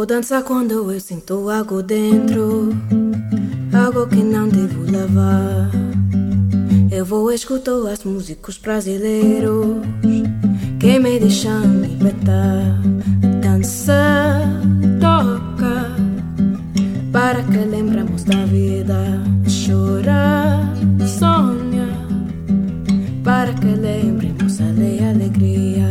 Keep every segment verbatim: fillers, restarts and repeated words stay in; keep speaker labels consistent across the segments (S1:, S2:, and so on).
S1: Vou dançar quando eu sinto algo dentro, algo que não devo levar. Eu vou escutar as músicas brasileiros que me deixam libertar. Dança, toca, para que lembremos da vida. Chora, sonha, para que lembremos a alegria.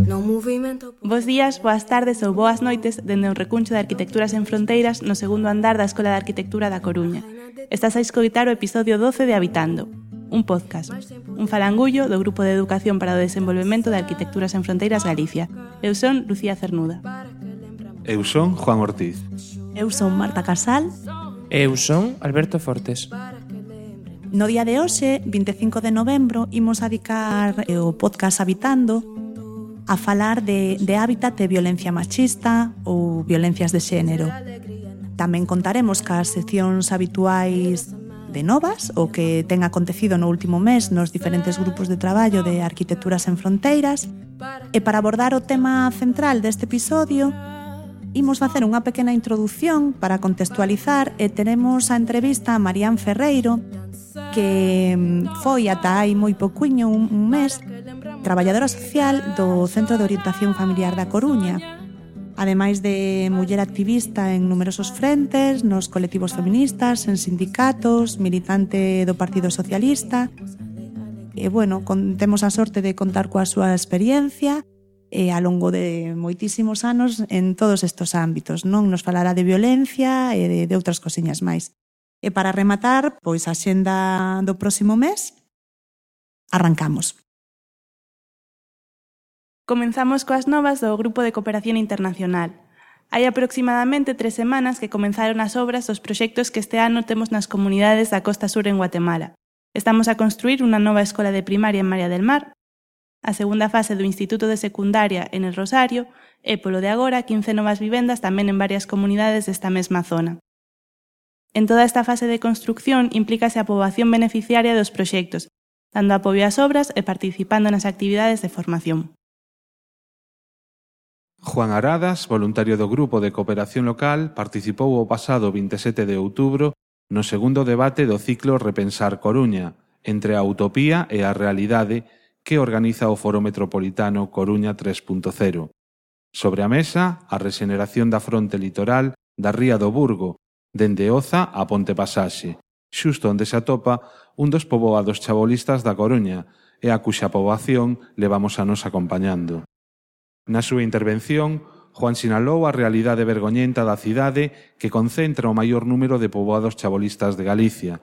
S1: No movimento...
S2: Bos días, boas tardes ou boas noites dende un recuncho de Arquitecturas en Fronteiras no segundo andar da Escola de Arquitectura da Coruña. Estás a escoitar o episodio doce de Habitando, un podcast, un falangullo do Grupo de Educación para o Desenvolvemento de Arquitecturas en Fronteiras Galicia. Eu son Lucía Cernuda.
S3: Eu son Juan Ortiz.
S4: Eu son Marta Casal.
S5: Eu son Alberto Fortes.
S4: No día de hoxe, vinte e cinco de novembro, imos a dedicar o podcast Habitando a falar de, de hábitat de violencia machista ou violencias de xénero. Tamén contaremos cas seccións habituais de novas, o que ten acontecido no último mes nos diferentes grupos de traballo de Arquitecturas en Fronteiras. E para abordar o tema central deste episodio, imos facer unha pequena introdución para contextualizar e teremos a entrevista a Marián Ferreiro, que foi ata hai moi pouquiño, un, un mes, traballadora social do Centro de Orientación Familiar da Coruña, ademais de muller activista en numerosos frentes, nos colectivos feministas, en sindicatos, militante do Partido Socialista. E, bueno, con, temos a sorte de contar coa súa experiencia e a longo de moitísimos anos en todos estes ámbitos, non? Nos falará de violencia e de, de outras cosiñas máis. E para rematar, pois a xenda do próximo mes, arrancamos.
S2: Comenzamos coas novas do Grupo de Cooperación Internacional. Hai aproximadamente tres semanas que comenzaron as obras dos proxectos que este ano temos nas comunidades da Costa Sur en Guatemala. Estamos a construir unha nova escola de primaria en María del Mar, a segunda fase do Instituto de Secundaria en El Rosario e, polo de agora, quince novas vivendas tamén en varias comunidades desta mesma zona. En toda esta fase de construcción implícase a poboación beneficiaria dos proxectos, dando apoio ás obras e participando nas actividades de formación.
S3: Juan Aradas, voluntario do Grupo de Cooperación Local, participou o pasado vinte e sete de outubro no segundo debate do ciclo Repensar Coruña, entre a utopía e a realidade que organiza o Foro Metropolitano Coruña tres punto cero. Sobre a mesa, a rexeneración da fronte litoral da Ría do Burgo, dende Oza a Ponte Pasaxe, xusto onde se atopa un dos poboados chabolistas da Coruña e a cuxa poboación levamos anos acompañando. Na súa intervención, Juan sinalou a realidade vergoñenta da cidade que concentra o maior número de poboados chabolistas de Galicia.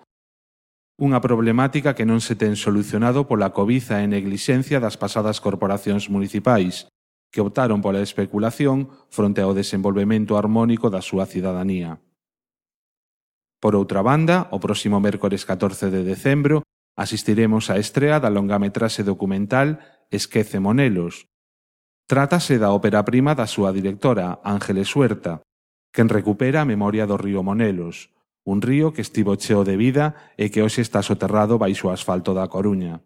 S3: Unha problemática que non se ten solucionado pola cobiza e neglixencia das pasadas corporacións municipais, que optaron pola especulación fronte ao desenvolvemento armónico da súa cidadanía. Por outra banda, o próximo mércores catorce de decembro, asistiremos á estrea da longametraxe documental Esquece Monelos. Trátase da ópera prima da súa directora, Ángeles Huerta, quen recupera a memoria do río Monelos, un río que estivo cheo de vida e que hoxe está soterrado baixo o asfalto da Coruña.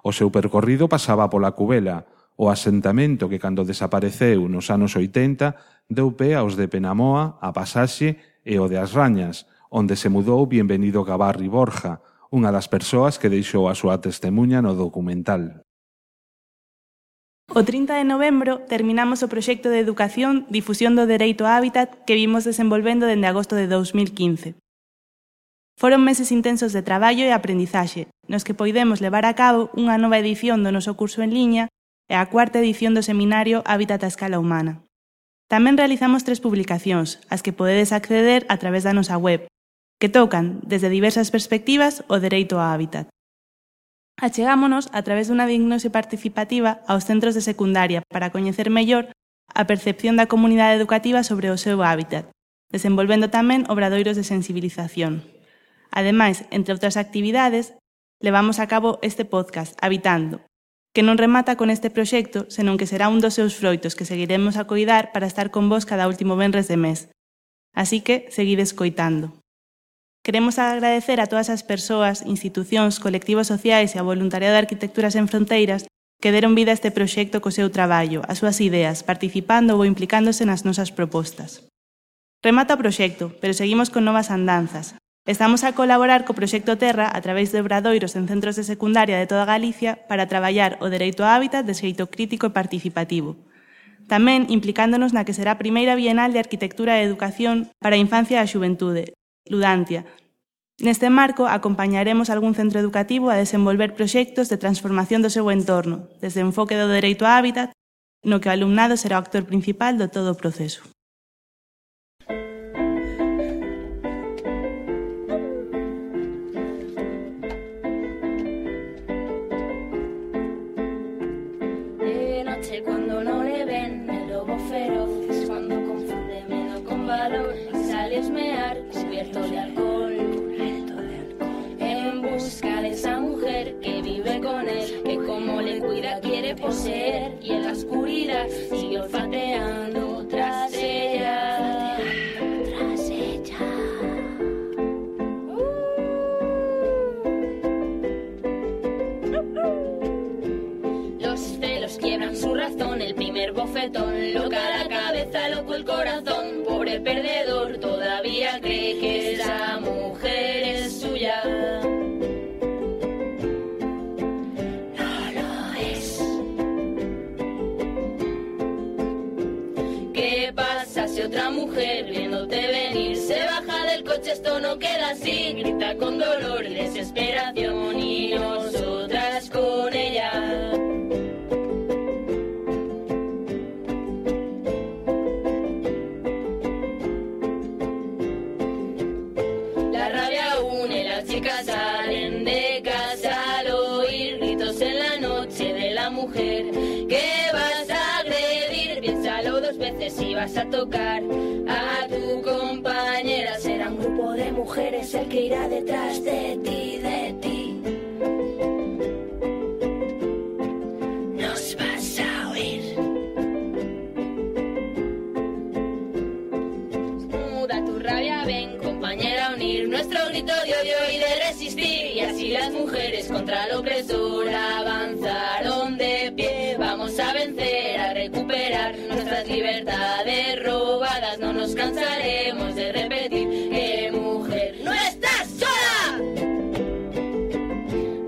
S3: O seu percorrido pasaba pola Cubela, o asentamento que cando desapareceu nos anos oitenta deu pé aos de Penamoa, a Pasaxe e o de As Rañas, onde se mudou Bienvenido Gabarri Borja, unha das persoas que deixou a súa testemuña no documental.
S2: O trinta de novembro terminamos o proxecto de educación Difusión do Dereito a Hábitat que vimos desenvolvendo dende agosto de dous mil quince. Foron meses intensos de traballo e aprendizaxe, nos que poidemos levar a cabo unha nova edición do noso curso en liña e a cuarta edición do seminario Hábitat a escala humana. Tamén realizamos tres publicacións, as que podedes acceder a través da nosa web, que tocan, desde diversas perspectivas, o dereito ao hábitat. Achegámonos a través dunha diagnose participativa aos centros de secundaria para coñecer mellor a percepción da comunidade educativa sobre o seu hábitat, desenvolvendo tamén obradoiros de sensibilización. Ademais, entre outras actividades, levamos a cabo este podcast, Habitando, que non remata con este proxecto, senón que será un dos seus froitos que seguiremos a coidar para estar con vos cada último venres de mes. Así que, seguide escoitando. Queremos agradecer a todas as persoas, institucións, colectivos sociais e ao voluntariado de Arquitecturas en Fronteiras que deron vida a este proxecto co seu traballo, as súas ideas, participando ou implicándose nas nosas propostas. Remata o proxecto, pero seguimos con novas andanzas. Estamos a colaborar co Proxecto Terra a través de obradoiros en centros de secundaria de toda Galicia para traballar o dereito ao hábitat de xeito crítico e participativo. Tamén implicándonos na que será a primeira Bienal de Arquitectura e Educación para a Infancia e a Xuventude, Ludantia. Neste marco, acompañaremos algún centro educativo a desenvolver proxectos de transformación do seu entorno, desde o enfoque do dereito ao hábitat, no que o alumnado será o actor principal do todo o proceso.
S1: Cuando no le ven, el lobo feroz es cuando confunde miedo con valor y sale a esmear cubierto de alcohol, en busca de esa mujer que vive con él, que como le cuida quiere poseer, y en la oscuridad sigue olfateando tras ella, tras ella. Los celos quiebran su razón, el primer bofetón, loca la cabeza, loco el corazón, pobre perdedor, todavía cree que esa mujer es suya. No lo es. ¿Qué pasa si otra mujer viéndote venir se baja del coche? Esto no queda así, grita con dolor y desesperación, y nosotras con ella. Salen de casa al oír gritos en la noche de la mujer que vas a agredir. Piénsalo dos veces si vas a tocar a tu compañera. Será un grupo de mujeres el que irá detrás de ti, de ti. Nos vas a oír. Muda tu rabia, ven compañera a unir nuestro grito de odio y de resistir, y así las mujeres contra el opresor avanzaron de pie. Vamos a vencer, a recuperar nuestras libertades robadas. No nos cansaremos de repetir que mujer no estás sola.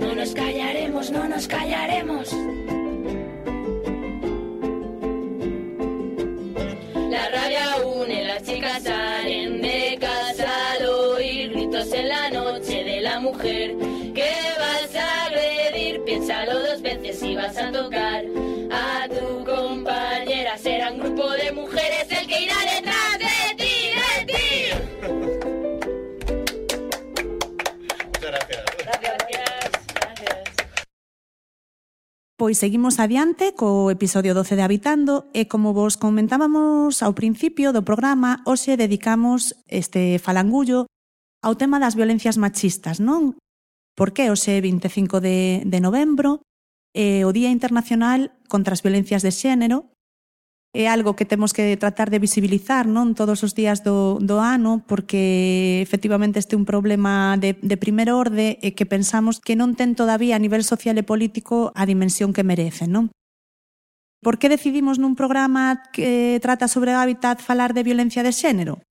S1: No nos callaremos, no nos callaremos. La rabia une, las chicas salen de casa al oír gritos en la noche de la mujer que vas a agredir. Piénsalo dos veces si vas a tocar a tu compañera. Será un grupo de mujeres el que irá detrás de ti, de ti.
S6: Muchas gracias.
S2: Gracias, gracias.
S4: Pois seguimos adiante co episodio doce de Habitando e como vos comentábamos ao principio do programa, hoxe dedicamos este falangullo ao tema das violencias machistas, non? Porque hoxe vinte e cinco de, de novembro é o Día Internacional contra as Violencias de Xénero. É algo que temos que tratar de visibilizar, non, todos os días do, do ano, porque efectivamente este é un problema de, de primer orde e que pensamos que non ten todavía a nivel social e político a dimensión que merece, non? Por que decidimos nun programa que trata sobre o hábitat falar de violencia de xénero?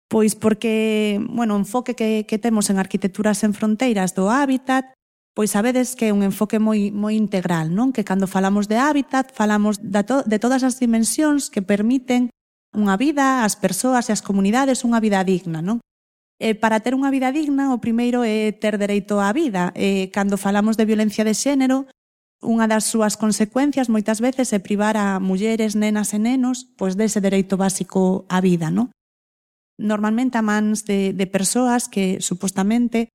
S4: Pois porque, bueno, o enfoque que, que temos en Arquitecturas sen Fronteiras do hábitat, pois sabedes que é un enfoque moi, moi integral, non? Que cando falamos de hábitat, falamos de, to, de todas as dimensións que permiten unha vida ás persoas e ás comunidades, unha vida digna, non? E para ter unha vida digna, o primeiro é ter dereito á vida. E cando falamos de violencia de xénero, unha das súas consecuencias moitas veces é privar a mulleres, nenas e nenos pois dese dereito básico á vida, non? Normalmente a mans de, de persoas que supostamente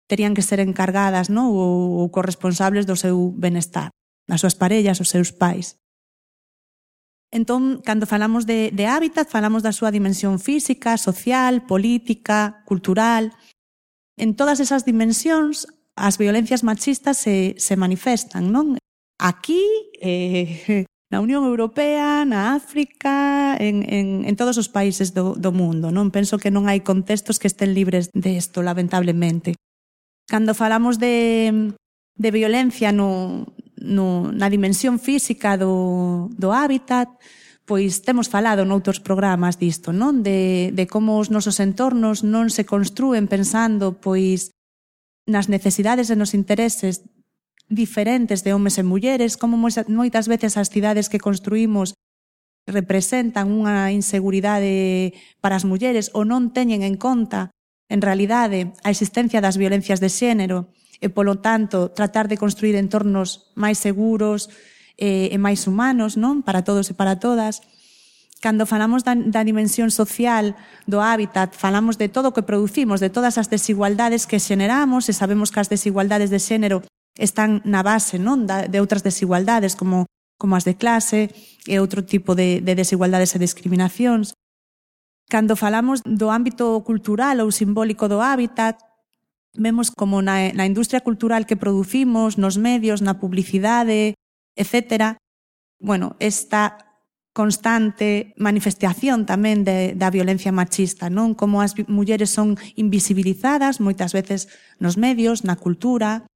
S4: terían que ser encargadas, non? Ou, ou corresponsables do seu benestar, das súas parellas, os seus pais. Entón, cando falamos de, de hábitat, falamos da súa dimensión física, social, política, cultural. En todas esas dimensións, as violencias machistas se, se manifestan, non? Aquí, eh, na Unión Europea, na África, en, en, en todos os países do, do mundo, non? Penso que non hai contextos que estén libres de isto, lamentablemente. Cando falamos de, de violencia no, no, na dimensión física do, do hábitat, pois temos falado noutros programas disto, non? De, de como os nosos entornos non se construen pensando pois nas necesidades e nos intereses diferentes de homes e mulleres, como moitas veces as cidades que construímos representan unha inseguridade para as mulleres ou non teñen en conta, en realidade, a existencia das violencias de xénero e, polo tanto, tratar de construir entornos máis seguros e, e máis humanos, non? Para todos e para todas. Cando falamos da, da dimensión social do hábitat, falamos de todo o que producimos, de todas as desigualdades que xeneramos, e sabemos que as desigualdades de xénero están na base, non? Da, de outras desigualdades, como, como as de clase e outro tipo de, de desigualdades e discriminacións. Cando falamos do ámbito cultural ou simbólico do hábitat, vemos como na, na industria cultural que producimos, nos medios, na publicidade, etcétera, bueno, esta constante manifestación tamén de, da violencia machista, non? Como as mulleres son invisibilizadas moitas veces nos medios, na cultura,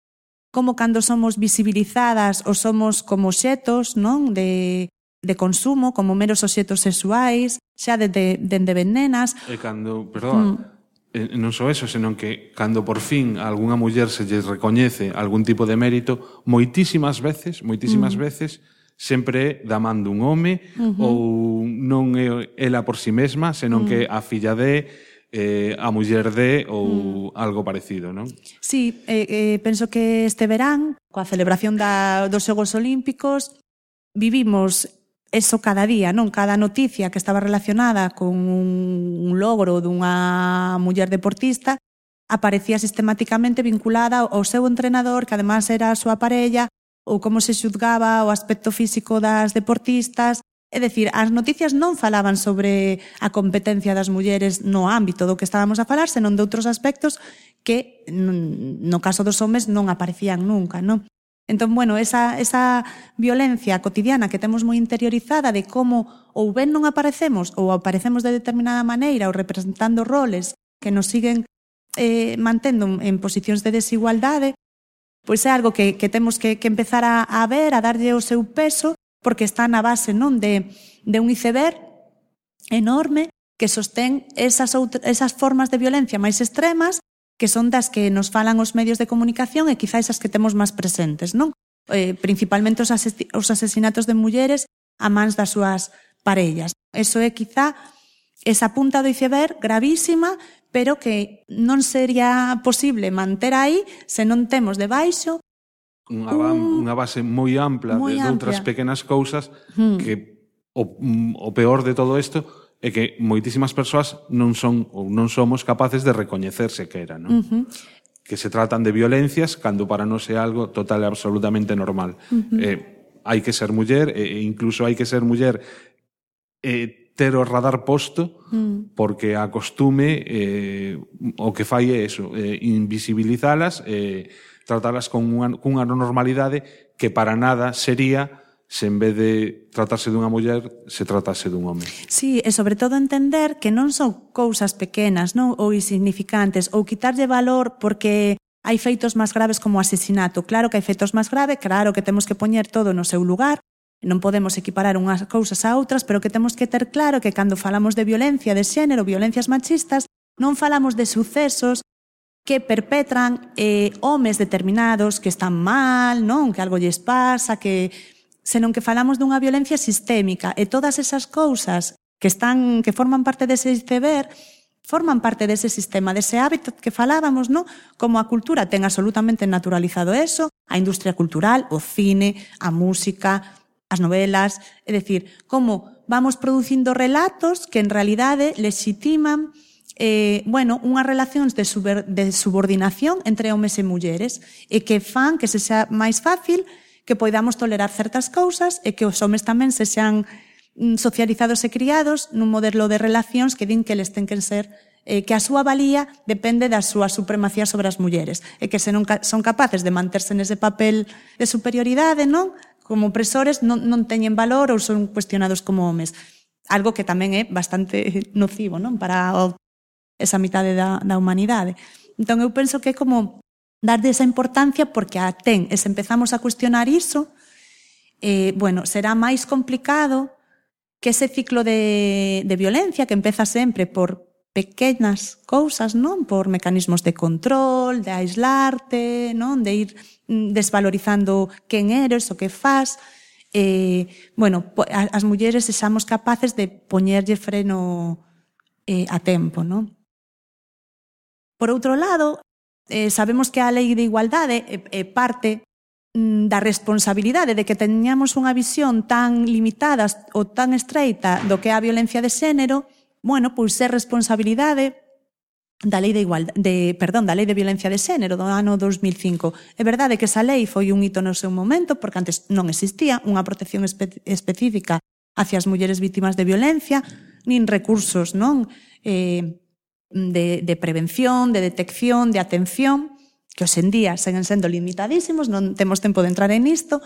S4: como cando somos visibilizadas ou somos como obxetos, non? De, de consumo, como meros obxetos sexuais, xa dende de, de nenas.
S3: E cando, perdón, mm. non só eso, senón que cando por fin a algunha muller se lle recoñece algún tipo de mérito, moitísimas veces, moitísimas mm. veces, sempre é da man dun home, uh-huh. ou non é ela por si mesma, senón mm. que a filla de, eh, a muller de, ou mm. algo parecido, non?
S4: Sí, eh, eh, penso que este verán, coa celebración da, dos Xogos Olímpicos, vivimos eso cada día, non? Cada noticia que estaba relacionada con un logro dunha muller deportista aparecía sistemáticamente vinculada ao seu entrenador, que además era a súa parella, ou como se xuzgaba o aspecto físico das deportistas. É dicir, as noticias non falaban sobre a competencia das mulleres no ámbito do que estábamos a falar, senón de outros aspectos que, no caso dos homes, non aparecían nunca, non? Entón, bueno, esa, esa violencia cotidiana que temos moi interiorizada de como ou ben non aparecemos ou aparecemos de determinada maneira ou representando roles que nos siguen eh, mantendo en posicións de desigualdade, pois é algo que, que temos que, que empezar a, a ver, a darlle o seu peso, porque está na base, non, de, de un iceberg enorme que sostén esas, outra, esas formas de violencia máis extremas, que son das que nos falan os medios de comunicación e quizás as que temos máis presentes, non? Eh, principalmente os, ases, os asesinatos de mulleres a mans das súas parellas. Eso é quizá esa punta do iceberg gravísima, pero que non sería posible manter aí se non temos debaixo
S3: unha, un... unha base moi ampla moi de, de outras pequenas cousas hmm. que o, o peor de todo isto é que moitísimas persoas non son ou non somos capaces de recoñecer sequera, non? Uh-huh. Que se tratan de violencias cando para nós é algo total e absolutamente normal. Uh-huh. Eh, hai que ser muller e incluso hai que ser muller eh, ter o radar posto mm. porque a costume eh, o que fai é eso, eh, invisibilizalas, eh, tratalas con unha, cunha normalidade que para nada sería se en vez de tratarse dunha muller se tratase dun home.
S4: Sí, e sobre todo entender que non son cousas pequenas, non, ou insignificantes, ou quitarlle valor porque hai feitos máis graves como o asesinato. Claro que hai feitos máis graves, claro que temos que poñer todo no seu lugar, non podemos equiparar unhas cousas a outras, pero que temos que ter claro que cando falamos de violencia de xénero, violencias machistas, non falamos de sucesos que perpetran eh, homes determinados que están mal, non, que algo lles pasa, que senón que falamos dunha violencia sistémica e todas esas cousas que están que forman parte dese iceberg forman parte dese sistema, dese hábito que falábamos, non? Como a cultura ten absolutamente naturalizado eso, a industria cultural, o cine, a música, as novelas, é dicir, como vamos producindo relatos que en realidade legitiman eh, bueno, unhas relacións de, super, de subordinación entre homes e mulleres e que fan que se xa máis fácil que poidamos tolerar certas cousas e que os homes tamén se xan socializados e criados nun modelo de relacións que din que les ten que ser eh, que a súa valía depende da súa supremacía sobre as mulleres e que se non son capaces de manterse nese papel de superioridade, non? Como opresores non, non teñen valor ou son cuestionados como homes. Algo que tamén é bastante nocivo, non? Para o, esa mitade da, da humanidade. Entón eu penso que é como darlle esa importancia porque a ten, e se empezamos a cuestionar iso, eh, bueno, será máis complicado que ese ciclo de, de violencia que empeza sempre por pequenas cousas, non? Por mecanismos de control, de aislarte, non? De ir desvalorizando quen eres, o que faz. Eh, bueno, as mulleres sexamos capaces de poñerlle freno eh, a tempo, non? Por outro lado, eh, sabemos que a Lei de Igualdade é, é parte da responsabilidade de que teñamos unha visión tan limitada ou tan estreita do que é a violencia de xénero, bueno, pois é responsabilidade da Lei de Igualdade, de, perdón, da Lei de Violencia de Xénero do ano dos mil cinco. É verdade que esa lei foi un hito no seu momento, porque antes non existía unha protección espe específica hacia as mulleres vítimas de violencia, nin recursos, non? Eh, de, de prevención, de detección, de atención, que hoxe en día seguen sendo limitadísimos, non temos tempo de entrar en isto,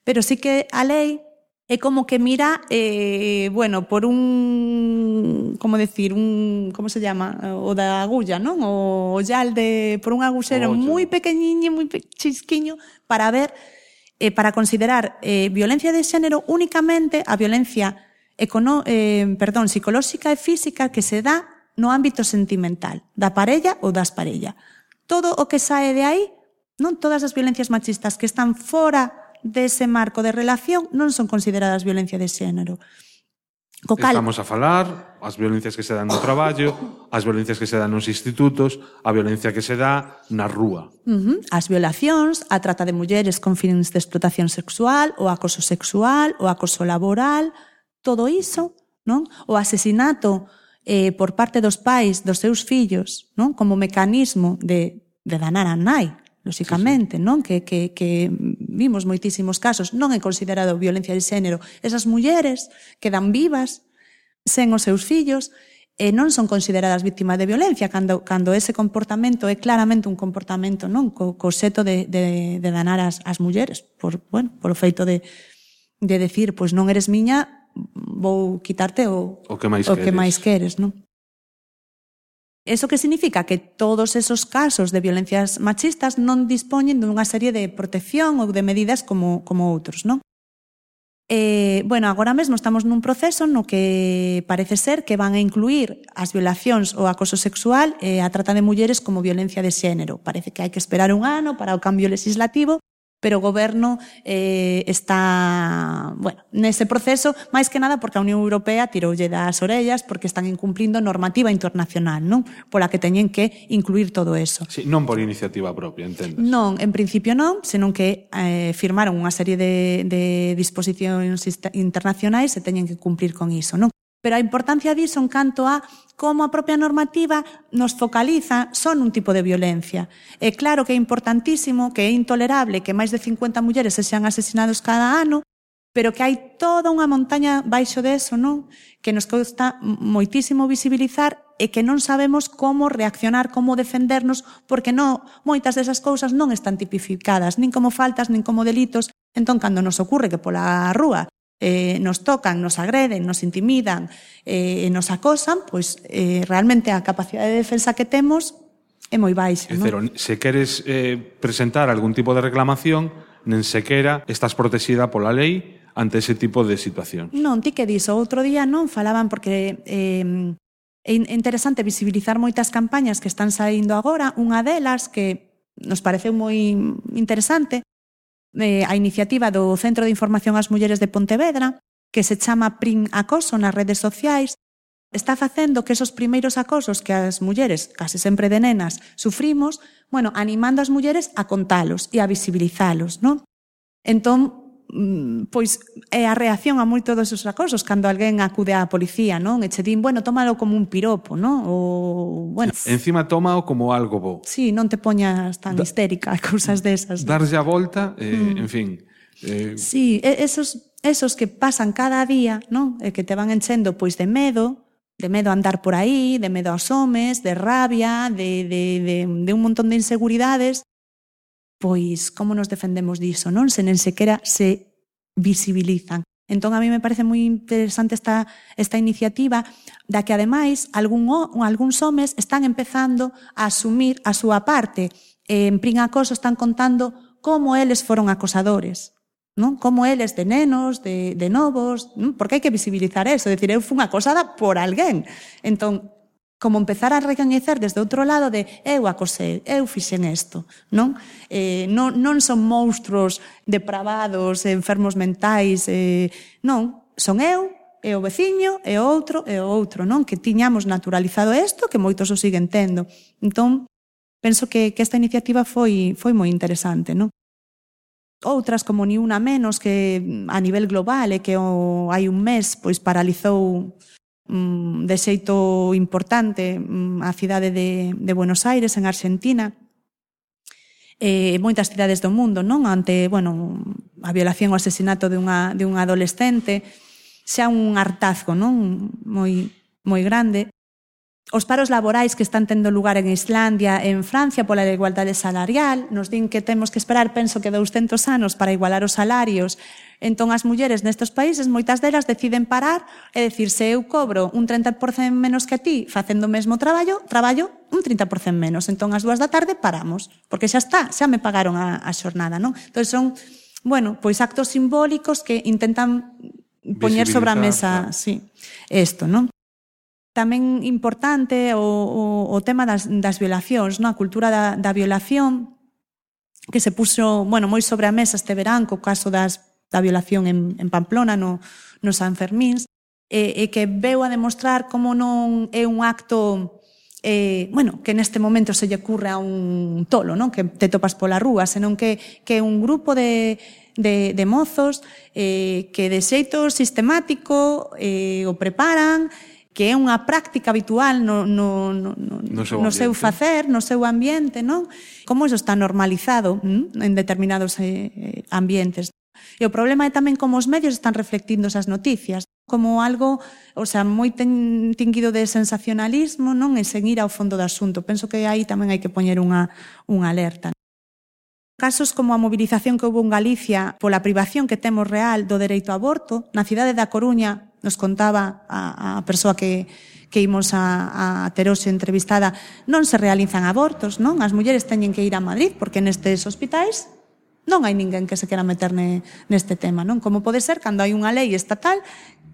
S4: pero sí que a lei é como que mira, eh, bueno, por un, como decir, un, como se llama, o da agulla, non? O ollal de, por un agusero moi pequeniño, moi chisquiño, para ver, eh, para considerar eh, violencia de xénero únicamente a violencia econo, eh, perdón, psicolóxica e física que se dá no ámbito sentimental, da parella ou das parella. Todo o que sae de aí, non todas as violencias machistas que están fora dese marco de relación non son consideradas violencia de xénero.
S3: Co cal... Estamos a falar as violencias que se dan no traballo, as violencias que se dan nos institutos, a violencia que se dá na rúa.
S4: Uh-huh. As violacións, a trata de mulleres con fins de explotación sexual, o acoso sexual, o acoso laboral, todo iso, non? O asesinato eh, por parte dos pais dos seus fillos, non? Como mecanismo de, de danar a nai, lóxicamente, sí, sí. Non? Que, que, que vimos moitísimos casos, non é considerado violencia de xénero. Esas mulleres quedan vivas sen os seus fillos e non son consideradas vítimas de violencia cando, cando ese comportamento é claramente un comportamento, non? Co, co xeto de, de, de danar as, as mulleres por, bueno, por o feito de, de decir, pois non eres miña, vou quitarte o,
S3: o que máis
S4: o
S3: queres,
S4: que máis queres, non? Eso que significa que todos esos casos de violencias machistas non dispoñen dunha serie de protección ou de medidas como, como outros, non? Eh, bueno, agora mesmo estamos nun proceso no que parece ser que van a incluir as violacións ou acoso sexual e a trata de mulleres como violencia de xénero. Parece que hai que esperar un ano para o cambio legislativo, pero o goberno eh, está, bueno, nese proceso, máis que nada porque a Unión Europea tiroulle das orellas porque están incumplindo normativa internacional, non? Pola que teñen que incluir todo eso.
S3: Sí, non por iniciativa propia, entendes?
S4: Non, en principio non, senón que eh, firmaron unha serie de, de disposicións internacionais e teñen que cumplir con iso, non? Pero a importancia diso en canto a como a propia normativa nos focaliza son un tipo de violencia. É claro que é importantísimo, que é intolerable que máis de cincuenta mulleres se sean asesinados cada ano, pero que hai toda unha montaña baixo deso, non? Que nos custa moitísimo visibilizar e que non sabemos como reaccionar, como defendernos, porque non, moitas desas cousas non están tipificadas, nin como faltas, nin como delitos. Entón, cando nos ocurre que pola rúa Eh, nos tocan, nos agreden, nos intimidan, eh, nos acosan, pois eh, realmente a capacidade de defensa que temos é moi baixa.
S3: É dicir, se queres eh, presentar algún tipo de reclamación, nen sequera estás protexida pola lei ante ese tipo de situación.
S4: Non, ti que diso, outro día non falaban porque eh, é interesante visibilizar moitas campañas que están saindo agora, unha delas que nos pareceu moi interesante, Eh, a iniciativa do Centro de Información ás Mulleres de Pontevedra, que se chama Prim Acoso nas redes sociais, está facendo que esos primeiros acosos que as mulleres, case sempre de nenas, sufrimos, bueno, animando as mulleres a contalos e a visibilizalos, non? Entón, pois é a reacción a moitos desos acosos cando alguén acude á policía, non? E che din, bueno, tómalo como un piropo, non? Ou, bueno,
S3: encima tómao como algo bo.
S4: Sí, non te poñas tan da, histérica, cousas desas.
S3: Darlle a volta, eh, mm. en fin.
S4: Eh... Sí, esos, esos que pasan cada día, non? E que te van enchendo pois de medo, de medo a andar por aí, de medo aos homes, de rabia, de, de, de, de un montón de inseguridades. Pois como nos defendemos diso, non? Se nen sequera se visibilizan. Entón, a mí me parece moi interesante esta, esta iniciativa da que, ademais, algún, algúns homes están empezando a asumir a súa parte En Prin Acoso están contando como eles foron acosadores, non? Como eles de nenos, de, de novos, non? Porque hai que visibilizar eso, decir, eu fui acosada por alguén. Entón, como empezar a recoñecer desde outro lado de eu acosei, eu fixen isto, non? Eh, non, non son monstruos depravados, enfermos mentais, eh, non, son eu, e o veciño, e o outro, e o outro, non? Que tiñamos naturalizado isto, que moitos o siguen tendo. Entón, penso que, que esta iniciativa foi, foi moi interesante, non? Outras como Ni Una Menos, que a nivel global e que o, hai un mes pois paralizou mm, de xeito importante mm, a cidade de, de Buenos Aires, en Argentina, e moitas cidades do mundo, non? Ante, bueno, a violación ou asesinato de unha, de un adolescente, xa un hartazgo, non? Moi, moi grande. Os paros laborais que están tendo lugar en Islandia e en Francia pola igualdade salarial, nos din que temos que esperar, penso que douscentos anos para igualar os salarios. Entón, as mulleres nestes países, moitas delas deciden parar e decir, se eu cobro un trinta por cento menos que ti facendo o mesmo traballo, traballo un trinta por cento menos. Entón, ás dúas da tarde paramos, porque xa está, xa me pagaron a, a xornada, non? Entón, son, bueno, pois actos simbólicos que intentan poñer sobre a mesa, sí, isto, non? Tamén importante o, o, o tema das, das violacións, non? A cultura da, da violación que se puxo, bueno, moi sobre a mesa este verán co caso das, da violación en, en Pamplona, no, no San Fermíns, e, e que veu a demostrar como non é un acto eh, bueno, que neste momento se lle ocurre a un tolo, non? Que te topas pola rúa, senón que, que é un grupo de, de, de mozos eh, que de xeito sistemático eh, o preparan, que é unha práctica habitual no, no, no, no, no, seu, no seu facer, no seu ambiente, non? Como iso está normalizado ¿m? En determinados eh, ambientes. E o problema é tamén como os medios están reflectindo esas noticias, como algo, o sea, moi ten, tinguido de sensacionalismo, non? E sen ir ao fondo do asunto. Penso que aí tamén hai que poñer unha, unha alerta. Casos como a movilización que houve en Galicia pola privación que temos real do dereito ao aborto, na cidade da Coruña, nos contaba a, a persoa que, que imos a, a ter hoxe entrevistada, non se realizan abortos, non? As mulleres teñen que ir a Madrid, porque nestes hospitais non hai ninguén que se quera meter ne, neste tema, non? Como pode ser cando hai unha lei estatal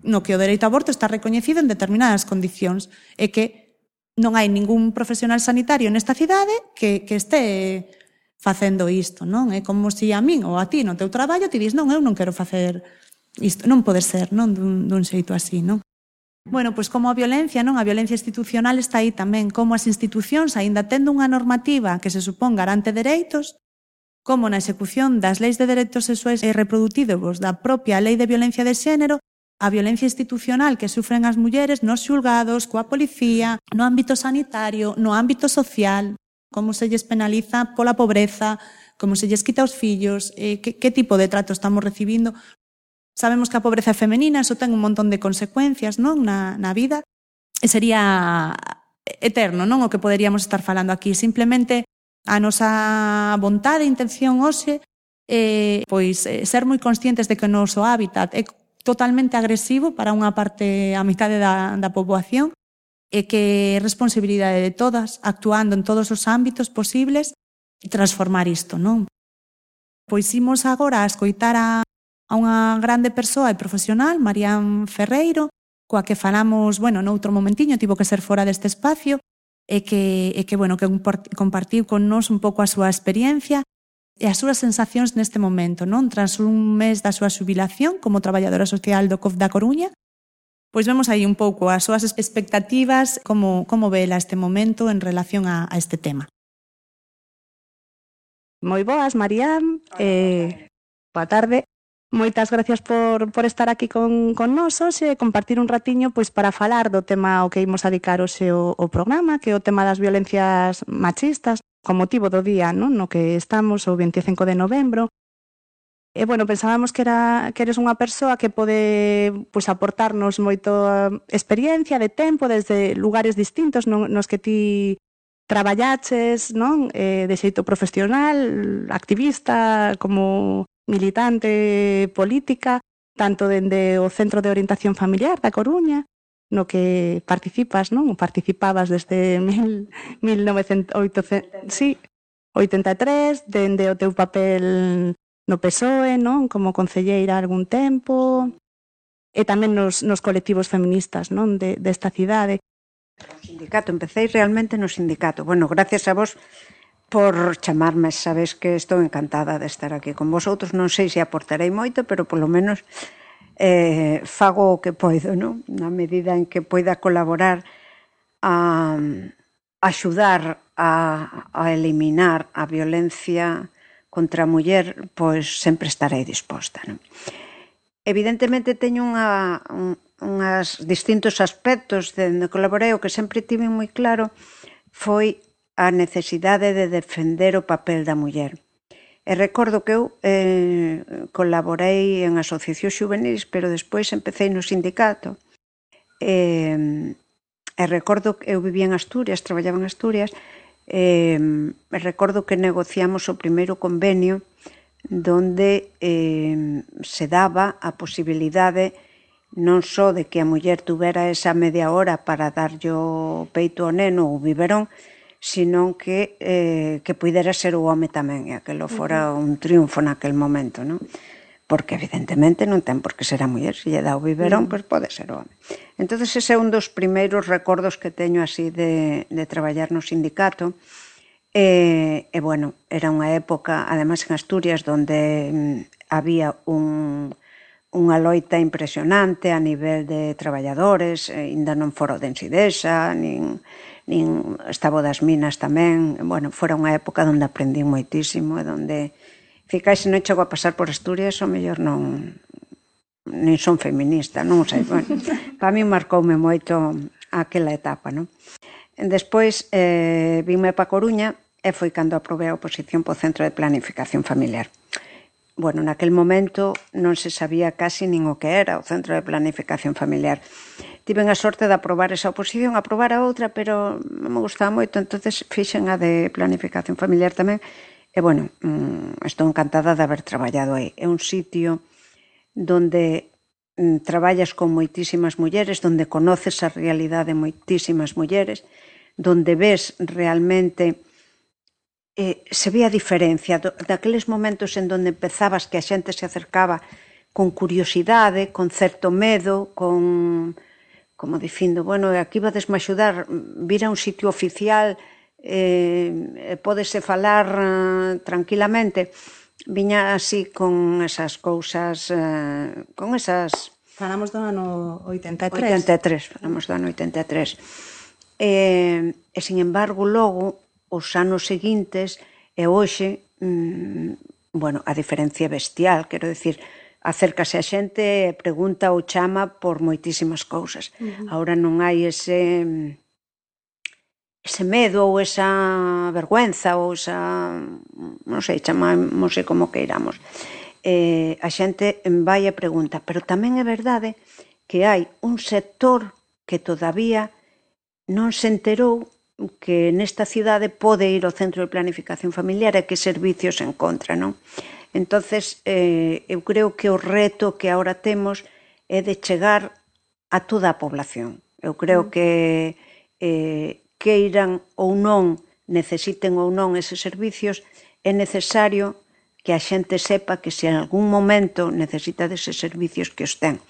S4: no que o dereito ao aborto está recoñecido en determinadas condicións e que non hai ningún profesional sanitario nesta cidade que, que este facendo isto, non? É como se a min ou a ti no teu traballo ti dis, non, eu non quero facer isto, non pode ser, non, dun, dun xeito así, non? Bueno, pois como a violencia, non? A violencia institucional está aí tamén, como as institucións, aínda tendo unha normativa que se supón garante dereitos, como na execución das leis de dereitos sexuais e reprodutivos da propia lei de violencia de xénero, a violencia institucional que sufren as mulleres nos xulgados, coa policía, no ámbito sanitario, no ámbito social, como se lles penaliza pola pobreza, como se lles quita os fillos, eh, que, que tipo de trato estamos recibindo. Sabemos que a pobreza é femenina, eso ten un montón de consecuencias, non, na, na vida, e sería eterno, non, o que poderíamos estar falando aquí. Simplemente a nosa vontade e intención hoxe é, pois, ser moi conscientes de que o noso hábitat é totalmente agresivo para unha parte, a mitade da, da poboación, e que é responsabilidade de todas, actuando en todos os ámbitos posibles, e transformar isto, non? Pois imos agora a escoitar a a unha grande persoa e profesional, Marián Ferreiro, coa que falamos, bueno, noutro momentiño, tivo que ser fora deste espacio, e que, e que, bueno, que compartiu con nós un pouco a súa experiencia e as súas sensacións neste momento, non? Tras un mes da súa xubilación como traballadora social do C O F da Coruña, pois vemos aí un pouco as súas expectativas, como, como vela este momento en relación a, a este tema. Moi boas, Marián, eh, boa tarde. Moitas gracias por, por estar aquí con, con nós hoxe e compartir un ratiño pois para falar do tema ao que imos a dedicar hoxe o, o programa, que é o tema das violencias machistas, con motivo do día, non? No que estamos o veinticinco de novembro. E, bueno, pensábamos que, era, que eres unha persoa que pode pois, aportarnos moita experiencia de tempo desde lugares distintos no, nos que ti traballaches, non? Eh, de xeito profesional, activista, como militante política, tanto dende o Centro de Orientación Familiar da Coruña, no que participas, non? Participabas desde mil, mil novecentos oitocentos, sí, oitenta e tres, dende o teu papel no P S O E, non? Como concelleira algún tempo, e tamén nos, nos colectivos feministas, non? De, desta cidade.
S7: No sindicato, empecé realmente no sindicato. Bueno, gracias a vos por chamarme, sabes que estou encantada de estar aquí con vosotros. Non sei se aportarei moito, pero polo menos eh, fago o que poido, non? Na medida en que poida colaborar a, a axudar a, a eliminar a violencia contra a muller, pois sempre estarei disposta, non? Evidentemente teño unha, un, unhas distintos aspectos de onde colaborei. O que sempre tive moi claro foi a necesidade de defender o papel da muller. E recordo que eu eh, colaborei en asociacións xuvenis, pero despois empecé no sindicato. E, e recordo que eu vivía en Asturias, traballaba en Asturias, e, e recordo que negociamos o primeiro convenio donde eh, se daba a posibilidade non só de que a muller tuvera esa media hora para darlle o peito ao neno ou biberón, sino que, eh, que pudera ser o home tamén, e aquilo fora un triunfo naquel momento, non? Porque evidentemente non ten por que ser a muller, se lle dá o biberón, pois pode ser o home. Entón, ese é un dos primeiros recordos que teño así de, de traballar no sindicato. E, e, bueno, era unha época, además en Asturias, donde mm, había un, unha loita impresionante a nivel de traballadores, e ainda non fora o de Ensidesa, nin, nin estaba das minas tamén. Bueno, fora unha época onde aprendí moitísimo, e donde, ficai, se non chego a pasar por Asturias, o mellor non, nin son feminista, non sei, bueno, para mí marcoume moito aquela etapa, non? Despois, eh, vime pa Coruña, e foi cando aprobei a oposición po Centro de Planificación Familiar. Bueno, naquel momento non se sabía casi nin o que era o Centro de Planificación Familiar. Tiven a sorte de aprobar esa oposición, aprobar a outra, pero non me gustaba moito, entonces fixen a de Planificación Familiar tamén. E, bueno, estou encantada de haber traballado aí. É un sitio donde traballas con moitísimas mulleres, donde conoces a realidade de moitísimas mulleres, donde ves realmente... Eh, se ve a diferencia do, daqueles momentos en donde empezabas que a xente se acercaba con curiosidade, con certo medo, con, como dicindo, bueno, aquí vades me axudar, vir a un sitio oficial, eh, pódese falar eh, tranquilamente. Viña así con esas cousas, eh, con esas...
S4: Falamos do ano oitenta e tres.
S7: oitenta e tres, falamos do ano oitenta e tres. E, e, sin embargo, logo... os anos seguintes e hoxe, mmm, bueno, a diferencia bestial, quero dicir, acércase a xente e pregunta ou chama por moitísimas cousas. Uh-huh. Ahora non hai ese ese medo ou esa vergüenza ou esa, non sei, chamamos como queiramos. Eh, a xente vai e pregunta, pero tamén é verdade que hai un sector que todavía non se enterou que nesta cidade pode ir ao Centro de Planificación Familiar e que servicios encontra, non? Entonces, eh, eu creo que o reto que agora temos é de chegar a toda a población. Eu creo que eh, queiran ou non, necesiten ou non eses servicios, é necesario que a xente sepa que se en algún momento necesita deses servicios que os ten.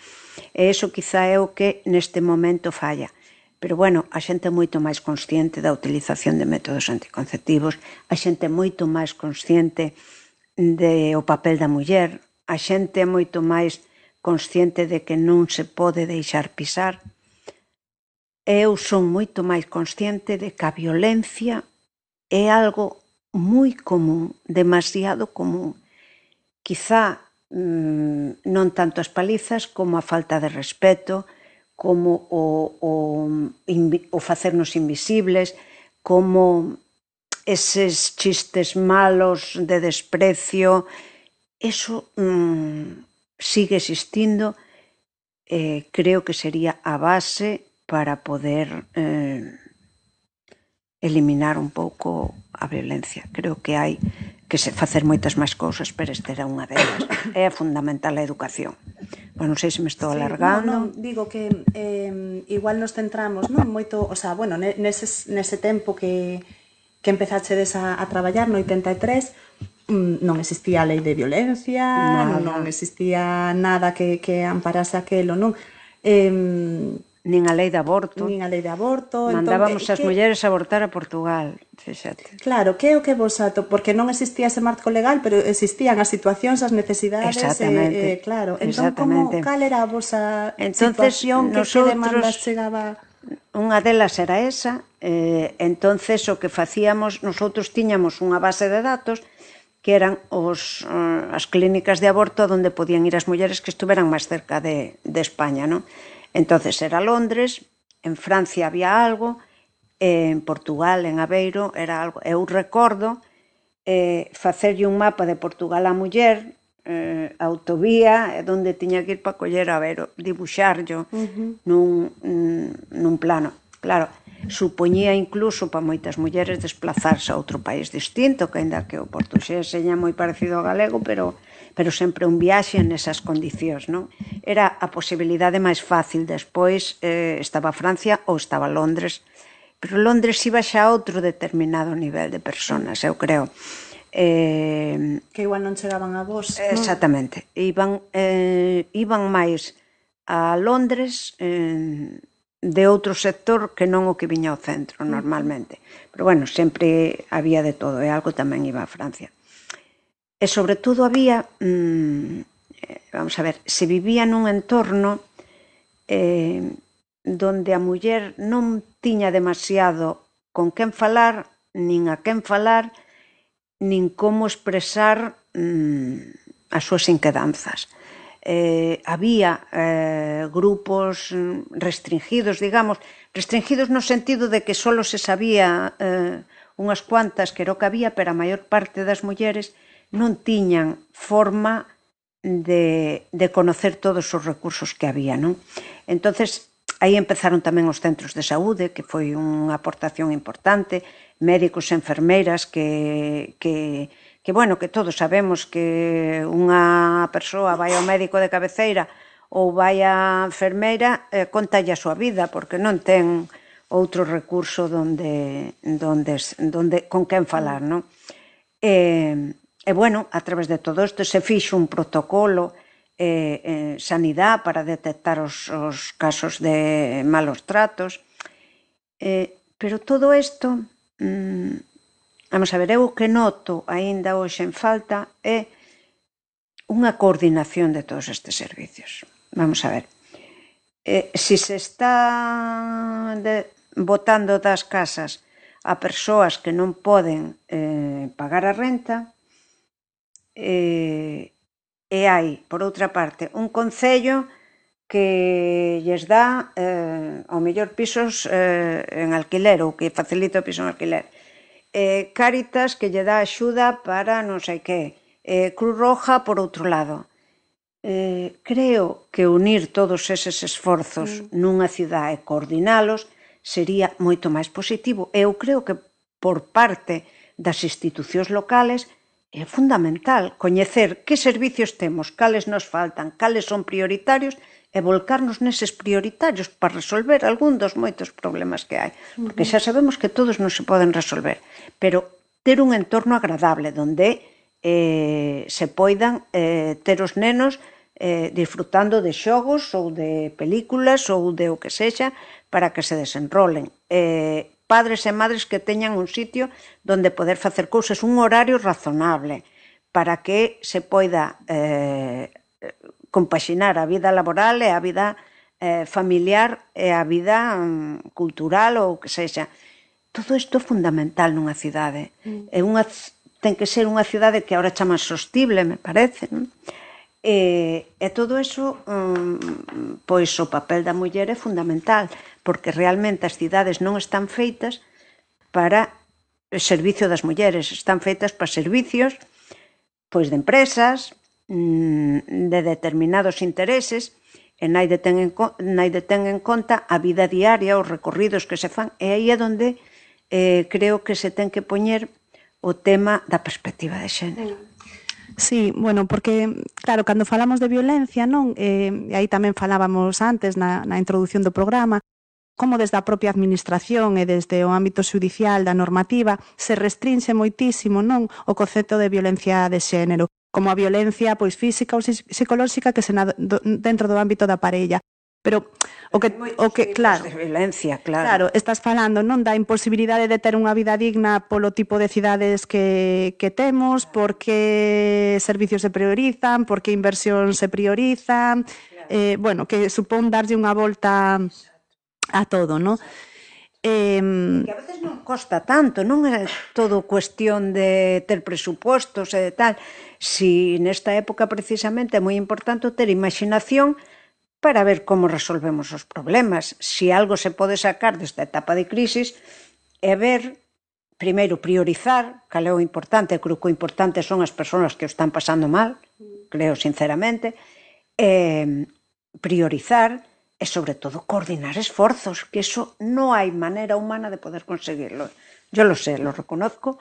S7: E iso quizá é o que neste momento falla. Pero, bueno, a xente é moito máis consciente da utilización de métodos anticonceptivos, a xente é moito máis consciente do papel da muller, a xente é moito máis consciente de que non se pode deixar pisar. Eu son moito máis consciente de que a violencia é algo moi común, demasiado común. Quizá mmm, non tanto as palizas como a falta de respeto, como o, o, o facernos invisibles, como eses chistes malos de desprecio, eso mmm, sigue existindo. Eh, creo que sería a base para poder eh, eliminar un pouco a violencia. Creo que hai que se facer moitas máis cousas, pero esta era unha delas. É fundamental a educación. Bueno, non sei se me estou
S4: sí,
S7: alargando.
S4: No, no, digo que eh, igual nos centramos, non, moito, o sea, bueno, nese, nese tempo que, que empezachedes a, a traballar no oitenta e tres, non existía a lei de violencia, nada. non existía nada que, que amparase aquelo, non? Eh,
S7: nin a lei de aborto.
S4: Nin a lei de aborto.
S7: Mandábamos
S4: entón,
S7: as
S4: que,
S7: mulleres a abortar a Portugal, fíxate.
S4: Claro, que é o que vos ato, porque non existía ese marco legal, pero existían as situacións, as necesidades.
S7: Exactamente.
S4: Eh, eh, claro, entón, como, cal era a vosa
S7: entonces,
S4: situación, que,
S7: nosotros,
S4: que demandas chegaba?
S7: Unha delas era esa, eh, entonces o que facíamos, nosotros tiñamos unha base de datos que eran os, uh, as clínicas de aborto onde podían ir as mulleres que estuveran máis cerca de, de España, non? Entonces era Londres, en Francia había algo, eh, en Portugal, en Aveiro, era algo. Eu recordo eh, facerlle un mapa de Portugal á muller, eh, a autovía, onde tiña que ir para coller a Aveiro, dibuxarlo uh-huh. nun, nun plano. Claro, supoñía incluso para moitas mulleres desplazarse a outro país distinto, que ainda que o portugués seña moi parecido ao galego, pero, pero sempre un viaxe nesas condicións, non? Era a posibilidade máis fácil. Despois eh, estaba Francia ou estaba Londres, pero Londres iba xa a outro determinado nivel de personas, eu creo. Eh,
S4: que igual non chegaban a vos.
S7: Exactamente. Non? Iban, eh, iban máis a Londres eh, de outro sector que non o que viña ao centro normalmente. Pero bueno, sempre había de todo, e algo tamén iba a Francia. E sobre todo había, mmm, vamos a ver, se vivía nun entorno eh, donde a muller non tiña demasiado con quen falar, nin a quen falar, nin como expresar mmm, as súas inquedanzas. Eh, había eh, grupos restringidos, digamos, restringidos no sentido de que solo se sabía eh, unhas cuantas que era o que había, pero a maior parte das mulleres non tiñan forma de, de conocer todos os recursos que había, non? Entonces, aí empezaron tamén os centros de saúde, que foi unha aportación importante, médicos e enfermeiras que... que que, bueno, que todos sabemos que unha persoa vai ao médico de cabeceira ou vai á enfermeira, eh, contalle a súa vida, porque non ten outro recurso donde, donde, donde, con quen falar, non? E, e, bueno, a través de todo isto se fixo un protocolo eh, eh, sanidade para detectar os, os casos de malos tratos, eh, pero todo isto... Mmm, Vamos a ver, eu o que noto aínda hoxe en falta é unha coordinación de todos estes servicios. Vamos a ver, eh, se se está de, botando das casas a persoas que non poden eh, pagar a renta, eh, e hai, por outra parte, un concello que lles dá eh, ao mellor pisos eh, en alquiler ou que facilita o piso en alquiler. Eh, Cáritas que lle dá axuda para non sei que, eh, Cruz Roja por outro lado. Eh, creo que unir todos eses esforzos mm. nunha cidade e coordinalos sería moito máis positivo. Eu creo que por parte das institucións locales é fundamental coñecer que servicios temos, cales nos faltan, cales son prioritarios e volcarnos neses prioritarios para resolver algún dos moitos problemas que hai. Porque xa sabemos que todos non se poden resolver, pero ter un entorno agradable onde eh, se poidan eh, ter os nenos eh, disfrutando de xogos ou de películas ou de o que sexa para que se desenrolen. Eh, padres e madres que teñan un sitio onde poder facer cousas, un horario razonable para que se poida eh, compaxinar a vida laboral e a vida eh, familiar e a vida um, cultural ou que sexa. Todo isto é fundamental nunha cidade. Mm. É unha, ten que ser unha cidade que agora chama sostible, me parece, non? E, e todo iso, um, pois o papel da muller é fundamental, porque realmente as cidades non están feitas para o servicio das mulleres, están feitas para servicios pois de empresas, de determinados intereses, e naide ten en, naide ten en conta a vida diaria, os recorridos que se fan, e aí é onde eh, creo que se ten que poñer o tema da perspectiva de xénero.
S4: Sí, bueno, porque, claro, cando falamos de violencia, non? Eh, aí tamén falábamos antes na, na introdución do programa, como desde a propia administración e desde o ámbito xudicial da normativa se restrinxe moitísimo, non, o concepto de violencia de xénero, como a violencia pois física ou psicolóxica que se na, do, dentro do ámbito da parella. Pero o que o que claro,
S7: de violencia, claro.
S4: Claro, estás falando, non, da imposibilidade de ter unha vida digna polo tipo de cidades que que temos, porque servicios se priorizan, porque inversión se prioriza, eh, bueno, que supón darlle unha volta a todo, non?
S7: Eh, que a veces non costa tanto, non é todo cuestión de ter presupostos e de tal. Si nesta época precisamente é moi importante ter imaginación para ver como resolvemos os problemas. Si algo se pode sacar desta etapa de crisis é ver, primeiro, priorizar, cal é o importante. Creo que o importante son as persoas que o están pasando mal, creo sinceramente, eh, priorizar e, sobre todo, coordinar esforzos, que eso non hai maneira humana de poder conseguirlo. Yo lo sé, lo reconozco,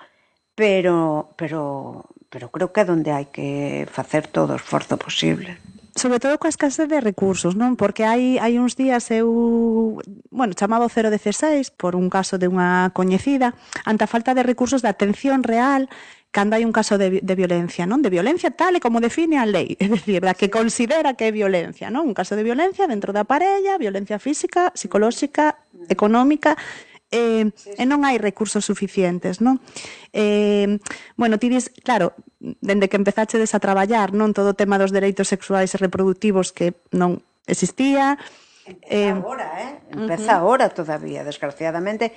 S7: pero, pero, pero creo que é onde hai que facer todo o esforzo posible.
S4: Sobre todo coa escasez de recursos, non? Porque hai, hai uns días eu, bueno, chamaba o cero dieciséis por un caso de unha coñecida ante a falta de recursos de atención real cando hai un caso de, de violencia, non? De violencia tal e como define a lei, é dicir, da que considera que é violencia, non? Un caso de violencia dentro da parella, violencia física, psicolóxica, económica, eh, e non hai recursos suficientes, non? Eh, bueno, ti dis, claro, dende que empezachedes a traballar, non, todo o tema dos dereitos sexuais e reproductivos que non existía.
S7: Empeza eh, agora, eh? Empeza uh-huh. agora todavía, desgraciadamente.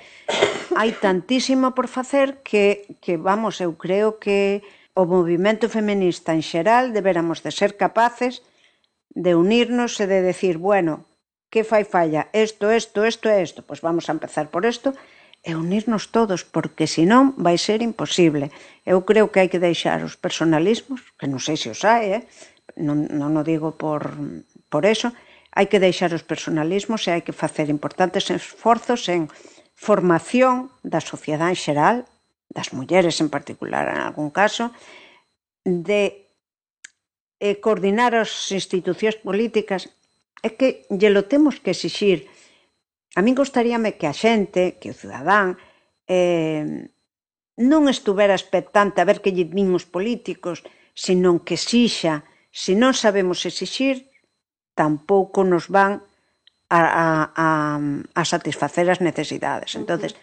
S7: Hai tantísimo por facer que, que, vamos, eu creo que o movimento feminista en xeral deberamos de ser capaces de unirnos e de decir, bueno, que fai falla? Isto, isto, isto e isto. Pois vamos a empezar por isto e unirnos todos, porque senón vai ser imposible. Eu creo que hai que deixar os personalismos, que non sei se os hai, eh? non, non o digo por, por eso, hai que deixar os personalismos e hai que facer importantes esforzos en formación da sociedade en xeral, das mulleres en particular en algún caso, de eh, coordinar as institucións políticas. É que lle lo temos que exixir. A min gostaríame que a xente, que o cidadán, eh, non estuvera expectante a ver que lle din os políticos, senón que exixa. Se non sabemos exixir, tampouco nos van a, a, a, a satisfacer as necesidades. Entonces,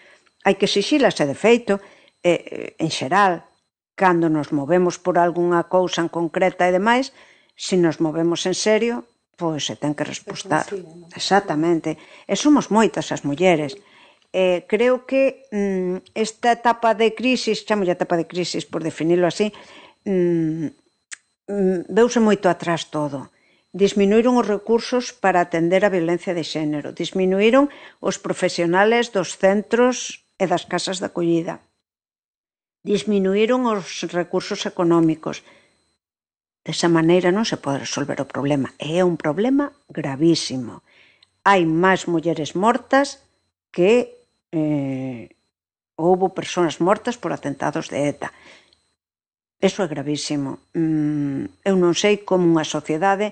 S7: hai que exixilas, e de feito, eh, en xeral, cando nos movemos por algunha cousa en concreta e demais, se nos movemos en serio, pois se ten que respostar. Exactamente. E somos moitas as mulleres. Eh, creo que mm, esta etapa de crisis, chamo etapa de crisis por definirlo así, mm, mm, veuse moito atrás todo. Disminuíron os recursos para atender a violencia de xénero, disminuíron os profesionales dos centros e das casas de acollida, disminuíron os recursos económicos. Desa maneira non se pode resolver o problema. E é un problema gravísimo. Hai máis mulleres mortas que eh, houbo persoas mortas por atentados de ETA. Eso é gravísimo. Mm, eu non sei como unha sociedade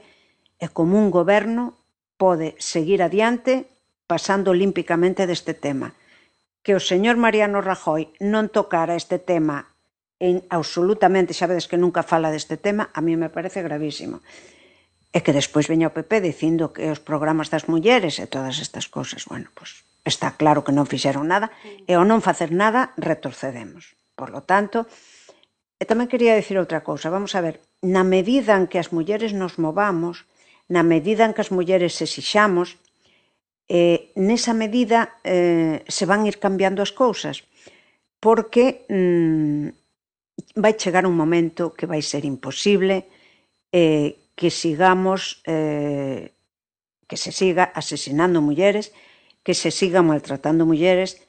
S7: e como un goberno pode seguir adiante pasando olímpicamente deste tema. Que o señor Mariano Rajoy non tocara este tema en absolutamente, xa vedes que nunca fala deste tema, a mí me parece gravísimo. E que despois veña o P P dicindo que os programas das mulleres e todas estas cosas, bueno, pois está claro que non fixeron nada, e ao non facer nada retrocedemos. Por lo tanto, e tamén quería dicir outra cousa, vamos a ver, na medida en que as mulleres nos movamos, na medida en que as mulleres exixamos, eh, nesa medida eh, se van ir cambiando as cousas, porque mm, vai chegar un momento que vai ser imposible eh, que sigamos, eh, que se siga asesinando mulleres, que se siga maltratando mulleres.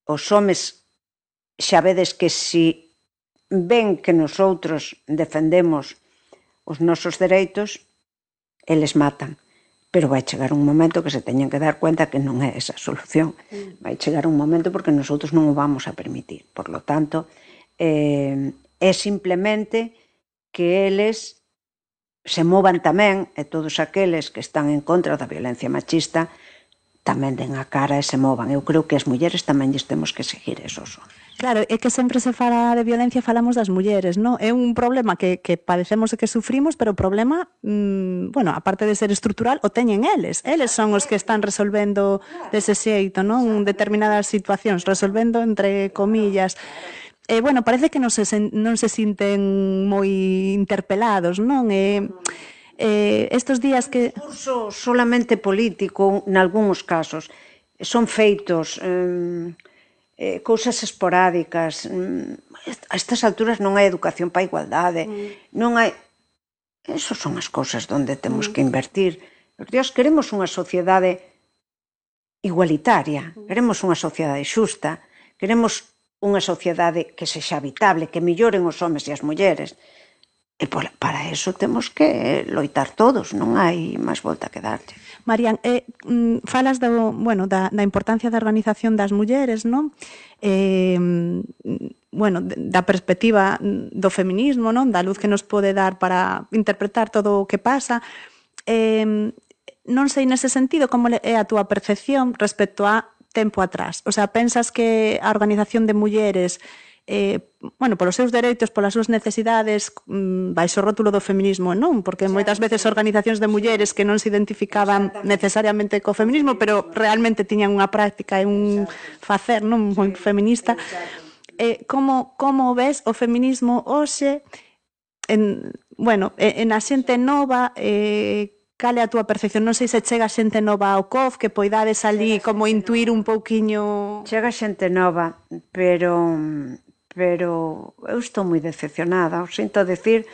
S7: Os homes xa vedes que si ven que nosotros defendemos os nosos dereitos, eles matan. Pero vai chegar un momento que se teñen que dar cuenta que non é esa a solución. Vai chegar un momento porque nosotros non o vamos a permitir. Por lo tanto, eh, é simplemente que eles se movan tamén, e todos aqueles que están en contra da violencia machista, tamén den a cara e se movan. Eu creo que as mulleres tamén lles temos que seguir eso.
S4: Claro, é que sempre se fala de violencia, falamos das mulleres, non? É un problema que, que padecemos e que sufrimos, pero o problema, mmm, bueno, aparte de ser estrutural, o teñen eles. Eles son os que están resolvendo dese xeito, non? Determinadas situacións, resolvendo entre comillas. Eh, bueno, parece que non se, non se sinten moi interpelados, non? Eh, eh, estos días que...
S7: Discurso solamente político, nalgúns casos, son feitos eh, eh, cousas esporádicas. A estas alturas non hai educación para a igualdade, mm. non hai... Esas son as cousas onde temos mm. que invertir. Dios, queremos unha sociedade igualitaria, queremos unha sociedade xusta, queremos unha sociedade que sexa habitable, que melloren os homes e as mulleres. E para eso temos que loitar todos, non hai máis volta que darlle.
S4: Marian, eh, falas do, bueno, da, da importancia da organización das mulleres, non? Eh, bueno, da perspectiva do feminismo, non? Da luz que nos pode dar para interpretar todo o que pasa. Eh, non sei nese sentido como é a túa percepción respecto a tempo atrás. O sea, pensas que a organización de mulleres eh, bueno, polos seus dereitos, polas súas necesidades, baixo o rótulo do feminismo, non? Porque moitas veces organizacións de mulleres que non se identificaban necesariamente co feminismo, pero realmente tiñan unha práctica e un facer non moi feminista. Eh, como, como ves o feminismo hoxe en, bueno, en a xente nova, eh, cal é a túa percepción? Non sei se chega xente nova ao C O F, que poidades ali como intuir un pouquiño...
S7: Chega xente nova, pero... pero eu estou moi decepcionada. O sinto decir,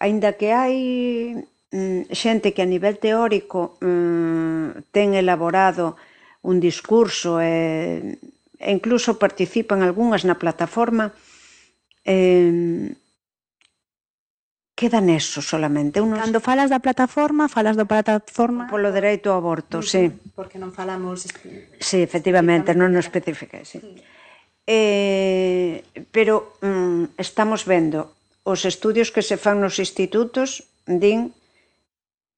S7: aínda que hai mm, xente que a nivel teórico mm, ten elaborado un discurso e, e incluso participan algunhas na plataforma, eh, queda neso solamente. Unos...
S4: Cando falas da plataforma, falas da plataforma...
S7: Polo dereito ao aborto, sí.
S4: Porque non falamos...
S7: Sí, efectivamente, non nos especifica, sí. Eh, pero mm, estamos vendo os estudios que se fan nos institutos din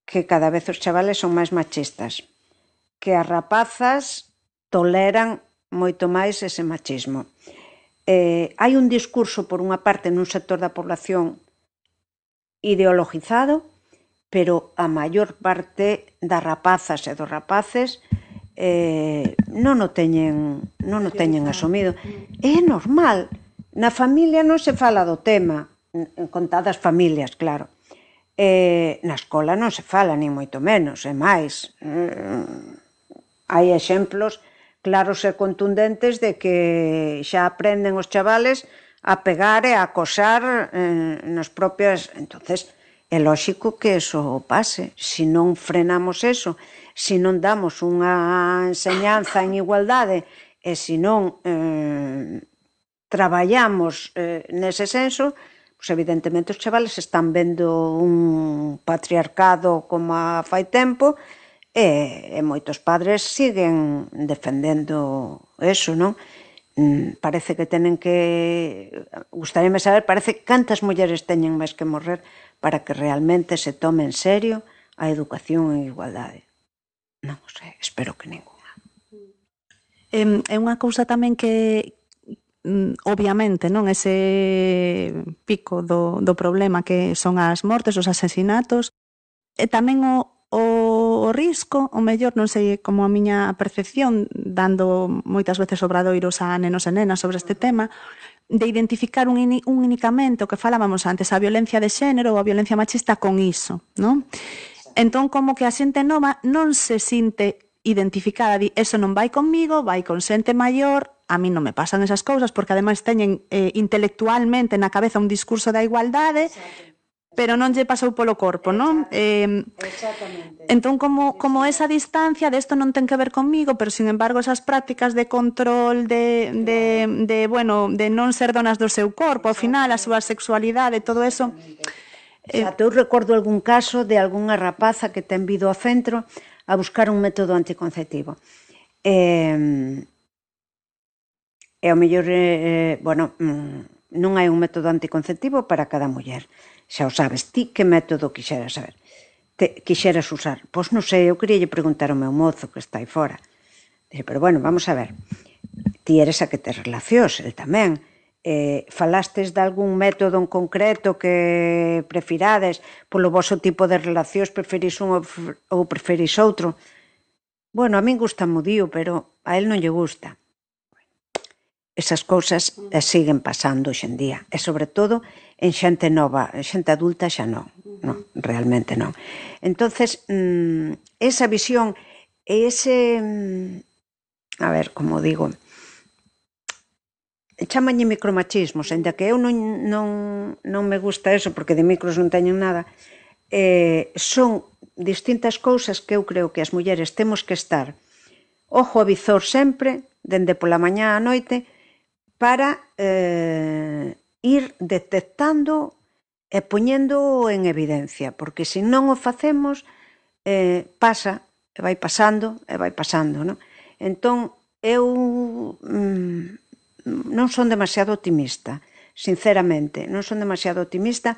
S7: que cada vez os chavales son máis machistas, que as rapazas toleran moito máis ese machismo. Eh, hai un discurso por unha parte nun sector da población ideologizado, pero a maior parte das rapazas e dos rapaces Eh, non o teñen non o teñen asumido. É normal, na familia non se fala do tema, en contadas familias, claro. Eh, na escola non se fala, ni moito menos, é máis. Eh, hai exemplos claros e contundentes de que xa aprenden os chavales a pegar e a acosar eh, nas propias... Entonces, é lóxico que eso pase. Se non frenamos eso, se non damos unha enseñanza en igualdade e se non eh, traballamos eh, nese senso, pues evidentemente os chavales están vendo un patriarcado como a fai tempo e, e moitos padres siguen defendendo eso, non? Mm, parece que tenen que... Gustaríame saber, parece cantas mulleres teñen máis que morrer para que realmente se tome en serio a educación en igualdade. Non sei, espero que ninguna.
S4: É unha cousa tamén que, obviamente, non ese pico do, do problema que son as mortes, os asesinatos, e tamén o, o, o risco, o mellor, non sei como a miña percepción, dando moitas veces obradoiros a nenos e nenas sobre este tema, de identificar un, un únicamente o que falábamos antes, a violencia de xénero ou a violencia machista con iso, non? Entón, como que a xente nova non se sinte identificada, di, eso non vai conmigo, vai con xente maior, a mí non me pasan esas cousas, porque ademais teñen eh, intelectualmente na cabeza un discurso da igualdade, pero non lle pasou polo corpo, non? Eh, entón, como, como esa distancia de isto non ten que ver conmigo, pero, sin embargo, esas prácticas de control, de, de, de, bueno, de non ser donas do seu corpo, ao final, a súa sexualidade, todo eso...
S7: Exacto, eu recordo algún caso de algunha rapaza que ten vido ao centro a buscar un método anticonceptivo. E, e ao mellor, eh, bueno, non hai un método anticonceptivo para cada muller. Xa o sabes, ti que método quixeras saber? Te, quixeras usar? Pois non sei, eu queríalle preguntar ao meu mozo que está aí fora. Dice, pero bueno, vamos a ver, ti eres a que te relacións, el tamén. Eh, falastes de algún método en concreto que prefirades polo vosso tipo de relacións, preferís un ou preferís outro? Bueno, a min gusta mo dío, pero a él non lle gusta. Esas cousas siguen pasando hoxe en día, e sobre todo en xente nova, en xente adulta xa non, non, realmente non. Entonces, mmm, esa visión e ese, a ver, como digo, chámanlle micromachismos, ainda que eu non, non, non me gusta eso, porque de micros non teñen nada, eh, son distintas cousas que eu creo que as mulleres temos que estar ojo a visor sempre, dende pola mañá á noite, para eh, ir detectando e poñendo en evidencia, porque se non o facemos, eh, pasa, e vai pasando, e vai pasando, non? Entón, eu mm, non son demasiado optimista, sinceramente, non son demasiado optimista,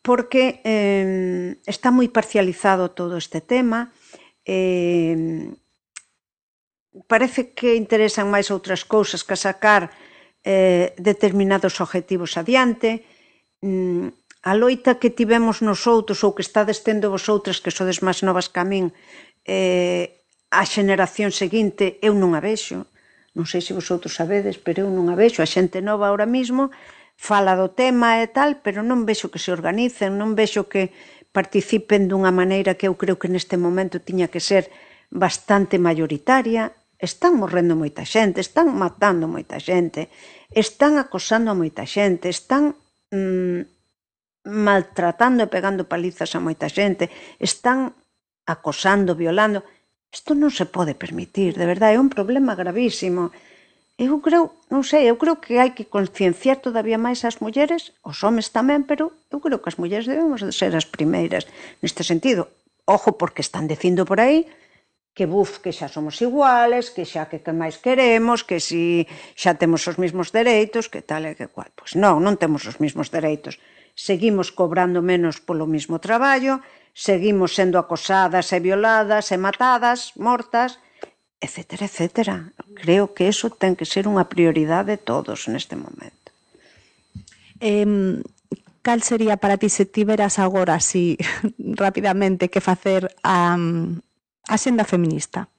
S7: porque eh, está moi parcializado todo este tema, eh, parece que interesan máis outras cousas que sacar eh, determinados objetivos adiante. Mm, a loita que tivemos nosotros ou que estades tendo vosotras, que sodes máis novas que a min, eh, a xeneración seguinte, eu non a vexo. Non sei se vosotros sabedes, pero eu non a vexo. A xente nova ahora mismo fala do tema e tal, pero non vexo que se organicen, non vexo que participen dunha maneira que eu creo que neste momento tiña que ser bastante mayoritaria. Están morrendo moita xente, están matando moita xente, están acosando a moita xente, están mmm, maltratando e pegando palizas a moita xente, están acosando, violando. Isto non se pode permitir, de verdade, é un problema gravísimo. Eu creo, non sei, eu creo que hai que concienciar todavía máis as mulleres, os homes tamén, pero eu creo que as mulleres debemos de ser as primeiras neste sentido. Ojo, porque están dicindo por aí que buf, que xa somos iguales, que xa que que máis queremos, que si xa temos os mesmos dereitos, que tal e que cual. Pois non, non temos os mesmos dereitos. Seguimos cobrando menos polo mesmo traballo, seguimos sendo acosadas e violadas e matadas, mortas, etcétera, etcétera. Creo que eso ten que ser unha prioridade de todos neste momento.
S4: Eh, cal sería para ti se tiveras agora así rapidamente que facer a, a senda feminista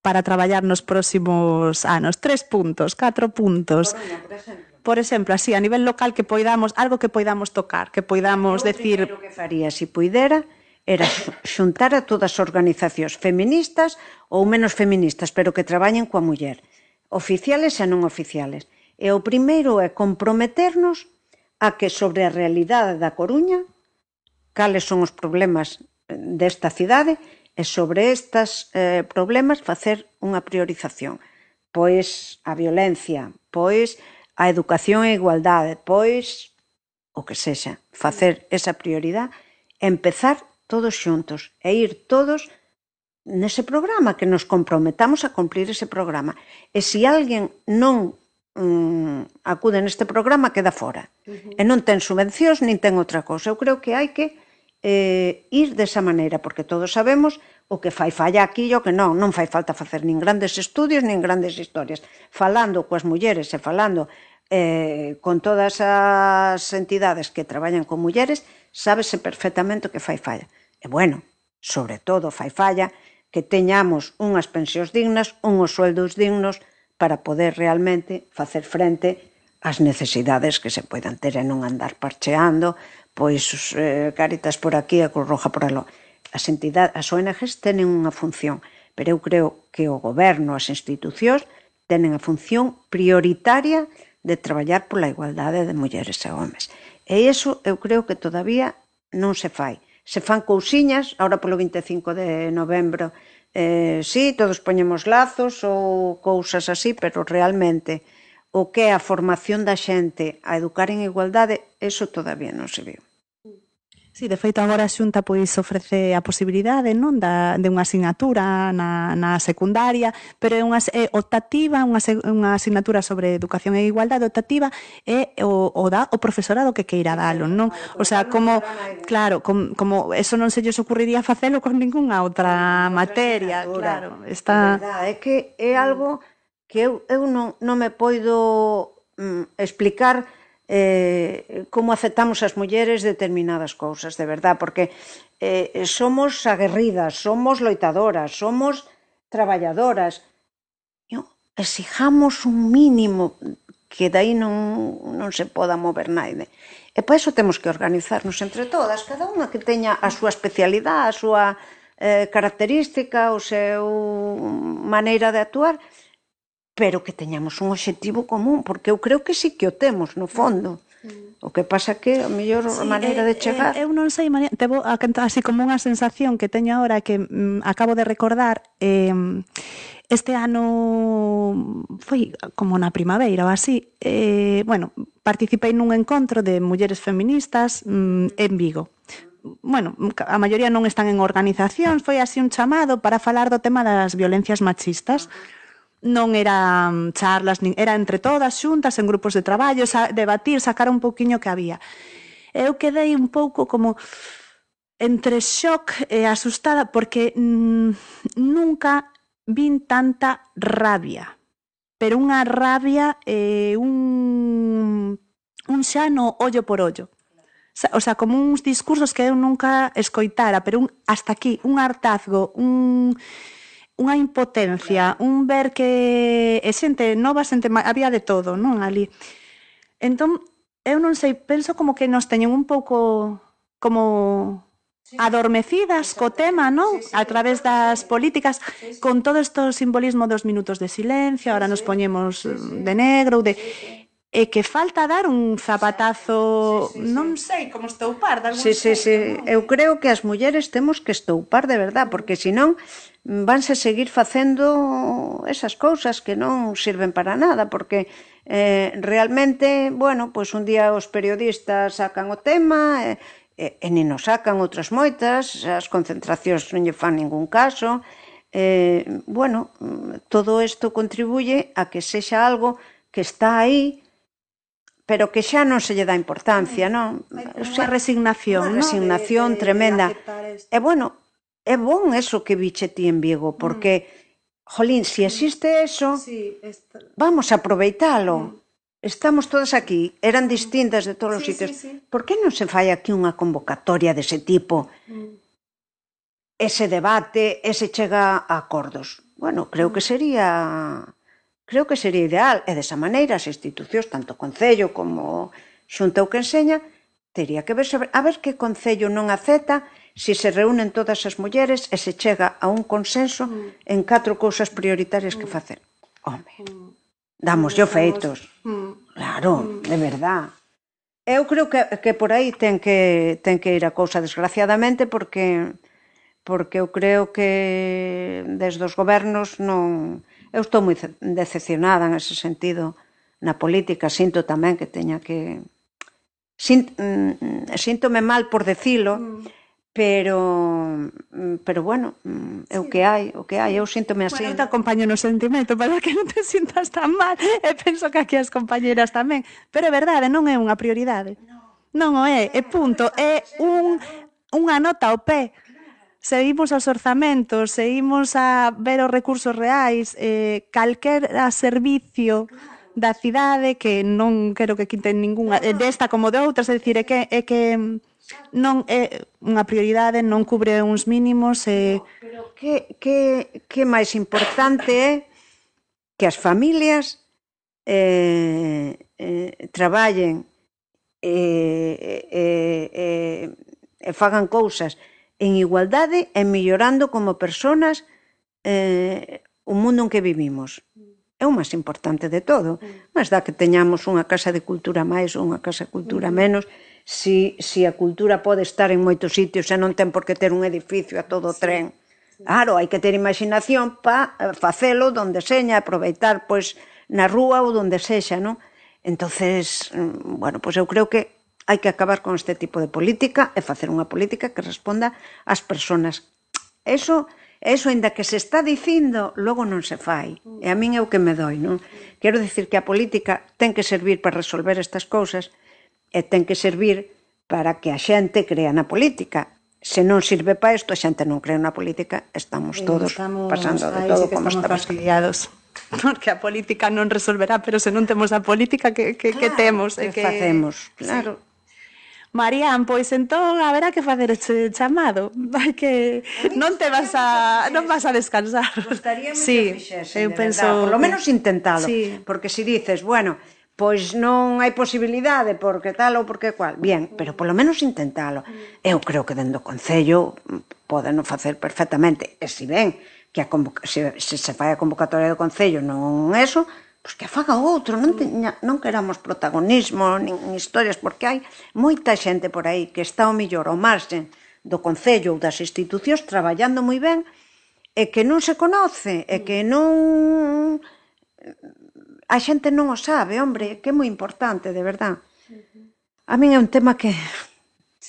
S4: para traballar nos próximos anos? Tres puntos, catro puntos. Por exemplo, por exemplo, así, a nivel local, que poidamos, algo que poidamos tocar, que poidamos decir...
S7: O que faría, se puidera, era xuntar a todas as organizacións feministas ou menos feministas, pero que traballen coa muller, oficiales e non oficiales. E o primeiro é comprometernos a que sobre a realidade da Coruña, cales son os problemas desta cidade, e sobre estes eh, problemas facer unha priorización. Pois a violencia, pois a educación e a igualdade, pois o que sexa, facer esa prioridade, empezar todos xuntos e ir todos nese programa, que nos comprometamos a cumplir ese programa. E se alguén non mm, acude neste programa, queda fora. Uh-huh. E non ten subvencións, nin ten outra cousa. Eu creo que hai que eh, ir desa maneira, porque todos sabemos o que fai falla aquí e o que non. Non fai falta facer nin grandes estudios, nin grandes historias. Falando coas mulleres e falando eh, con todas as entidades que traballan con mulleres, sábese perfectamente o que fai falla. E bueno, sobre todo fai falla que teñamos unhas pensións dignas, unhos sueldos dignos para poder realmente facer frente ás necesidades que se poidan ter e non andar parcheando, pois eh, Cáritas por aquí e Cruz Roja por aló. As entidades, as O N Ges tenen unha función, pero eu creo que o goberno, as institucións, tenen a función prioritaria de traballar pola igualdade de mulleres e homes. E iso eu creo que todavía non se fai. Se fan cousiñas, ahora polo vinte e cinco de novembro, eh, sí, todos poñemos lazos ou cousas así, pero realmente o que é a formación da xente a educar en igualdade, eso todavía non se viu.
S4: Sí, de feito agora a Xunta pois ofrece a posibilidade, non, da de unha asignatura na na secundaria, pero é unha é optativa, unha unha asignatura sobre educación e igualdade optativa e o o dá o profesorado que queira dalo, non? O sea, como claro, como, como eso non se lles ocurriría facelo con ningunha outra materia, claro, está.
S7: É verdade, é que é algo que eu eu non non me poido mm, explicar eh, como aceptamos as mulleres determinadas cousas, de verdad, porque eh, somos aguerridas, somos loitadoras, somos traballadoras. Eu, exijamos un mínimo que dai non, non se poda mover naide. E para iso temos que organizarnos entre todas, cada unha que teña a súa especialidade, a súa eh, característica, o seu maneira de actuar, pero que teñamos un obxectivo común, porque eu creo que sí que o temos, no fondo. O que pasa que a mellor a maneira de chegar...
S4: Eu non sei, María, tevo así como unha sensación que teño agora que mm, acabo de recordar, eh, este ano foi como na primaveira ou así, eh, bueno, participei nun encontro de mulleres feministas mm, en Vigo. Bueno, a maioría non están en organizacións, foi así un chamado para falar do tema das violencias machistas. Non eran charlas, nin, era entre todas xuntas en grupos de traballo, sa, debatir, sacar un pouquiño que había. Eu quedei un pouco como entre shock e asustada porque mm, nunca vin tanta rabia, pero unha rabia e eh, un, un xa no ollo por ollo. O sea, como uns discursos que eu nunca escoitara, pero un, hasta aquí, un hartazgo, un... unha impotencia, un ver que é xente nova, xente había de todo, non, ali. Entón, eu non sei, penso como que nos teñen un pouco como adormecidas co tema, non? A través das políticas, con todo este simbolismo dos minutos de silencio, ahora nos poñemos de negro, de... e que falta dar un zapatazo, non sei, como estoupar.
S7: Sí, sí, sí, eu creo que as mulleres temos que estoupar de verdad, porque senón vanse seguir facendo esas cousas que non sirven para nada, porque eh, realmente, bueno, pois un día os periodistas sacan o tema e, e, e nin nos sacan outras moitas, as concentracións non lle fan ningún caso, eh, bueno, todo isto contribuye a que sexa algo que está aí, pero que xa non se lle dá importancia, non?
S4: Unha resignación,
S7: unha resignación tremenda. E bueno, é bon eso que viche ti en Vigo, porque, jolín, se existe eso, vamos a aproveitalo. Estamos todas aquí, eran distintas de todos os sitios. Por que non se fai aquí unha convocatoria dese tipo? Ese debate, ese chega a acordos. Bueno, creo que sería... Creo que sería ideal, e desa maneira as institucións, tanto o Concello como Xunta ou que enseña, teria que verse a ver que Concello non acepta se se reúnen todas as mulleres e se chega a un consenso en catro cousas prioritarias que facer. Home, damoslle feitos. Claro, de verdad. Eu creo que, que por aí ten que, ten que ir a cousa, desgraciadamente, porque, porque eu creo que desde os gobernos non... Eu estou moi decepcionada en ese sentido na política, sinto tamén que teña que... Sint... Síntome mal por decilo, pero pero bueno, é o que hai, o que hai, eu síntome así.
S4: Bueno, eu te acompaño no sentimento para que non te sintas tan mal, e penso que aquí as compañeras tamén, pero é verdade, non é unha prioridade. Non o é, é punto, é un, unha nota ao pé. Seguimos aos orzamentos, seguimos a ver os recursos reais, eh, calquer servicio da cidade que non quero que quiten ninguna, desta como de outras, é dicir, é que, é que non é unha prioridade, non cubre uns mínimos. E...
S7: Pero que, que, que máis importante é que as familias eh, eh, traballen e eh, eh, eh, eh, fagan cousas en igualdade e mellorando como personas eh, o mundo en que vivimos. É o máis importante de todo. Mas dá que teñamos unha casa de cultura máis ou unha casa de cultura menos, si, si a cultura pode estar en moitos sitios e non ten por que ter un edificio a todo o tren. Claro, hai que ter imaginación para facelo donde seña, aproveitar pois na rúa ou donde sexa, non? Entonces, bueno, pois eu creo que hai que acabar con este tipo de política e facer unha política que responda ás persoas. Eso, eso, ainda que se está dicindo, logo non se fai. E a min é o que me doi, non? Quero dicir que a política ten que servir para resolver estas cousas e ten que servir para que a xente crea na política. Se non sirve para isto, a xente non crea na política, estamos todos
S4: estamos,
S7: pasando de
S4: aí
S7: todo
S4: sí
S7: como
S4: estamos
S7: está
S4: fastidiados. Porque a política non resolverá, pero se non temos a política que, que,
S7: claro,
S4: que temos.
S7: que,
S4: e que
S7: facemos, claro.
S4: Sí. Marían, pois entón haberá que facer este chamado. Hai que non te vas a non vas a descansar.
S7: Gustaríame
S4: sí,
S7: que fixesen,
S4: eu
S7: de
S4: penso,
S7: verdad, por lo menos intentalo,
S4: sí.
S7: Porque se dices, bueno, pois non hai posibilidade porque tal ou porque cual, bien, pero polo menos intentalo. Eu creo que dentro do Concello podeno facer perfectamente, e se ben que a convoca, se, se se fai a convocatoria do Concello non eso, pois que a faga outro, non, teña, non queramos protagonismo nin historias, porque hai moita xente por aí que está ao millor ao marxen do Concello ou das institucións traballando moi ben e que non se conoce, e que non... A xente non o sabe, hombre, que é moi importante, de verdad. A min é un tema que...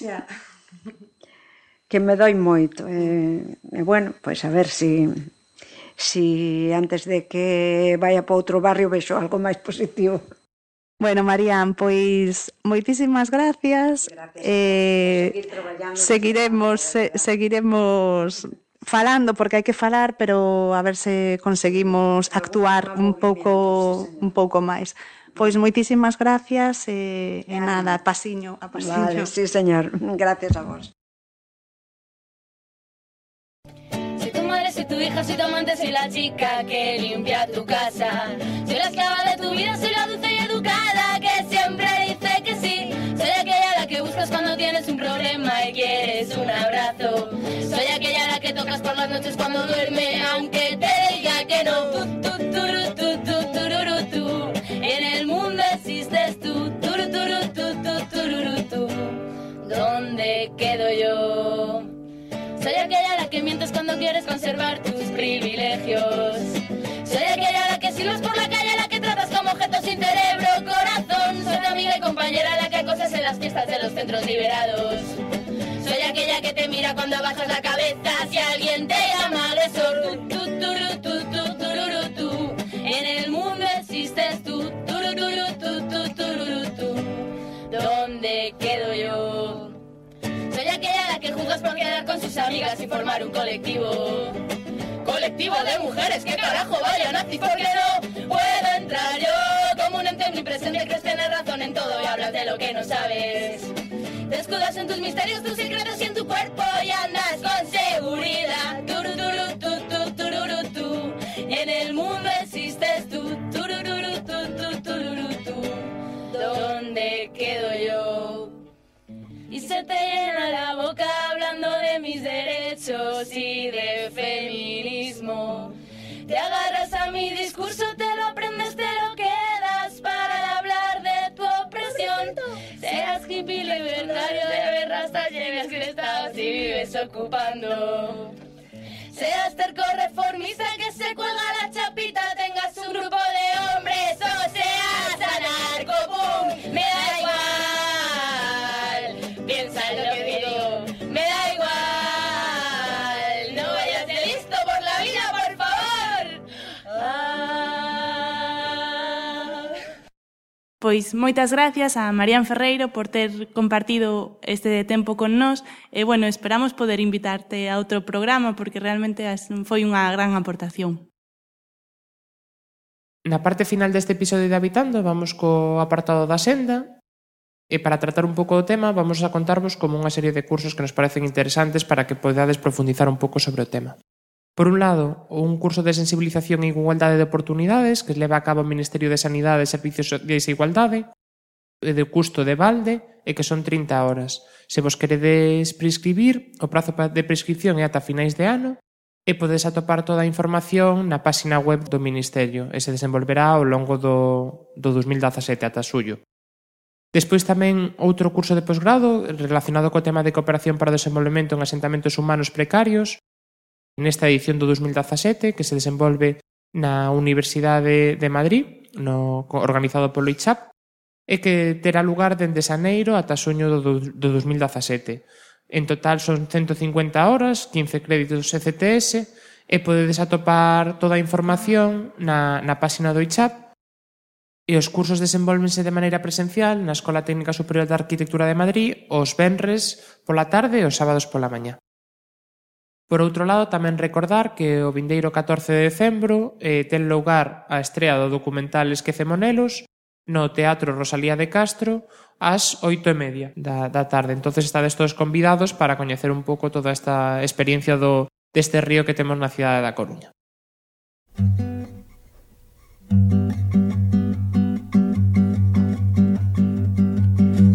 S4: Yeah.
S7: que me doi moito. E, e bueno, pois a ver si... si antes de que vaya para outro barrio vexo algo máis positivo.
S4: Bueno, Marían, pois moitísimas gracias.
S7: Gracias.
S4: Eh, seguiremos, se, seguiremos falando porque hai que falar, pero a ver se conseguimos actuar un pouco un pouco máis. Pois moitísimas gracias e, e nada, pasiño, a pasiño.
S7: Vale, sí, señor. Gracias a vos.
S1: Soy tu hija, soy tu amante, soy la chica que limpia tu casa. Soy la esclava de tu vida, soy la dulce y educada que siempre dice que sí. Soy aquella a la que buscas cuando tienes un problema y quieres un abrazo. Soy aquella a la que tocas por las noches cuando duerme, aunque te diga que no. Tu, tu, turu, tu, tu, tururu, tu. En el mundo existes tú. Turu, turu, tu, tu, tururu, tu. ¿Dónde quedo yo? Soy aquella a la que mientes cuando quieres conservar tus privilegios. Soy aquella a la que silbas por la calle, a la que tratas como objeto sin cerebro, corazón. Soy tu amiga y compañera a la que acosas en las fiestas de los centros liberados. Soy aquella que te mira cuando bajas la cabeza si alguien te llama agresor. Tu, tu, turu, tu, tu, tururu, tu. En el mundo existes tú. Turu, turu, tu, tu, tururu, tu. ¿Dónde quedo yo? Soy aquella a la que juzgas por quedar con sus amigas y formar un colectivo. Colectivo de mujeres, que carajo vaya nazis, porque no puedo entrar yo. Como un ente omnipresente crees tener razón en todo y hablas de lo que no sabes. Te escudas en tus misterios, tus secretos y en tu cuerpo y andas con seguridad. Turu, turu, tu, tu, tururu, tu. En el mundo existes tú. Turururu, tu, tu, tururu, tu. ¿Dónde quedo yo? Y se te llena la boca hablando de mis derechos y de feminismo. Te agarras a mi discurso, te lo aprendes, te lo quedas para hablar de tu opresión. Seas hippie, libertario, de ver hasta llegas que estás y vives ocupando. Seas terco reformista que se cuelga la chapita, tengas un grupo de hombres o seas anarcopunk, me da igual. Piensa en lo que digo, me da igual. No vayas de listo por la vida, por favor. Ah.
S2: Pois moitas gracias a Marían Ferreiro por ter compartido este tempo con nós e, bueno, esperamos poder invitarte a outro programa porque realmente foi unha gran aportación.
S5: Na parte final deste episodio de Habitando vamos co apartado da senda e para tratar un pouco do tema vamos a contarvos como unha serie de cursos que nos parecen interesantes para que podades profundizar un pouco sobre o tema. Por un lado, un curso de sensibilización e igualdade de oportunidades que leva a cabo o Ministerio de Sanidade e Servicios de Igualdade e de custo de balde e que son trinta horas. Se vos queredes prescribir, o prazo de prescripción é ata finais de ano e podes atopar toda a información na página web do Ministerio e se desenvolverá ao longo do, do dos mil dezasete ata xullo. Despois tamén outro curso de posgrado relacionado co tema de cooperación para o desenvolvemento en asentamentos humanos precarios nesta edición do dos mil dezasete que se desenvolve na Universidade de Madrid, no, organizado polo I C H A P, e que terá lugar dende xaneiro ata xuño do, do dos mil dezasete. En total son ciento cincuenta horas, quince créditos E C T S, e podedes atopar toda a información na, na páxina do I C H A P. E os cursos desenvólvense de maneira presencial na Escola Técnica Superior de Arquitectura de Madrid os venres pola tarde e os sábados pola mañá. Por outro lado, tamén recordar que o vindeiro catorce de decembro eh, ten lugar a estrea do documental Esquecemonelos no Teatro Rosalía de Castro ás oito e media da, da tarde. Entonces estades todos convidados para coñecer un pouco toda esta experiencia do, deste río que temos na cidade da Coruña.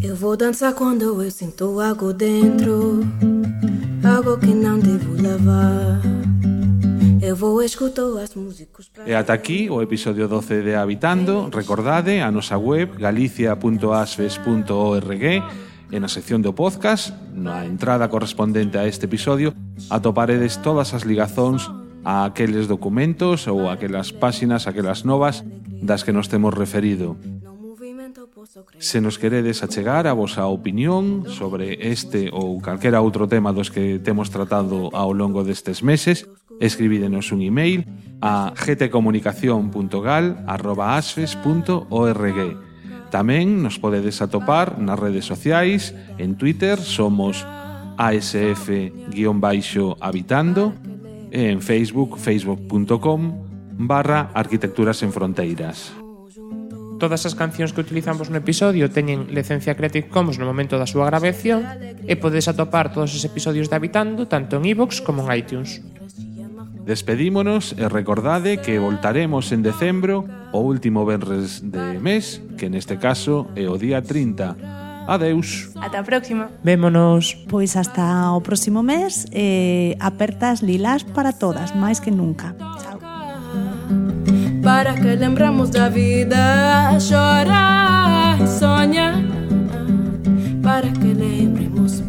S8: Eu vou dançar quando eu sinto algo dentro, algo que não devo levar. Eu vou escutar as músicas.
S3: E ata aquí o episodio doce de Habitando. Recordade a nosa web galicia punto asfes punto org e na sección do podcast, na entrada correspondente a este episodio, atoparedes todas as ligazóns a aqueles documentos ou aquelas páxinas, aquelas novas das que nos temos referido. Se nos queredes achegar a vosa opinión sobre este ou calquera outro tema dos que temos tratado ao longo destes meses, escribídenos un email a gtcomunicación punto gal arroba asfes punto org. Tamén nos podedes atopar nas redes sociais. En Twitter somos asf-habitando e en Facebook facebook punto com barra arquitecturas en fronteiras.
S5: Todas as cancións que utilizamos no episodio teñen licencia Creative Commons no momento da súa grabación e podes atopar todos os episodios de Habitando tanto en iVoox como en iTunes.
S3: Despedímonos e recordade que voltaremos en decembro, o último venres de mes, que neste caso é o día trinta. Adeus.
S2: Ata a próxima.
S5: Vémonos.
S4: Pois hasta o próximo mes, eh, apertas lilás para todas, máis que nunca. Chao.
S8: Para que lembramos da vida, chorar e sonhar. Para que lembremos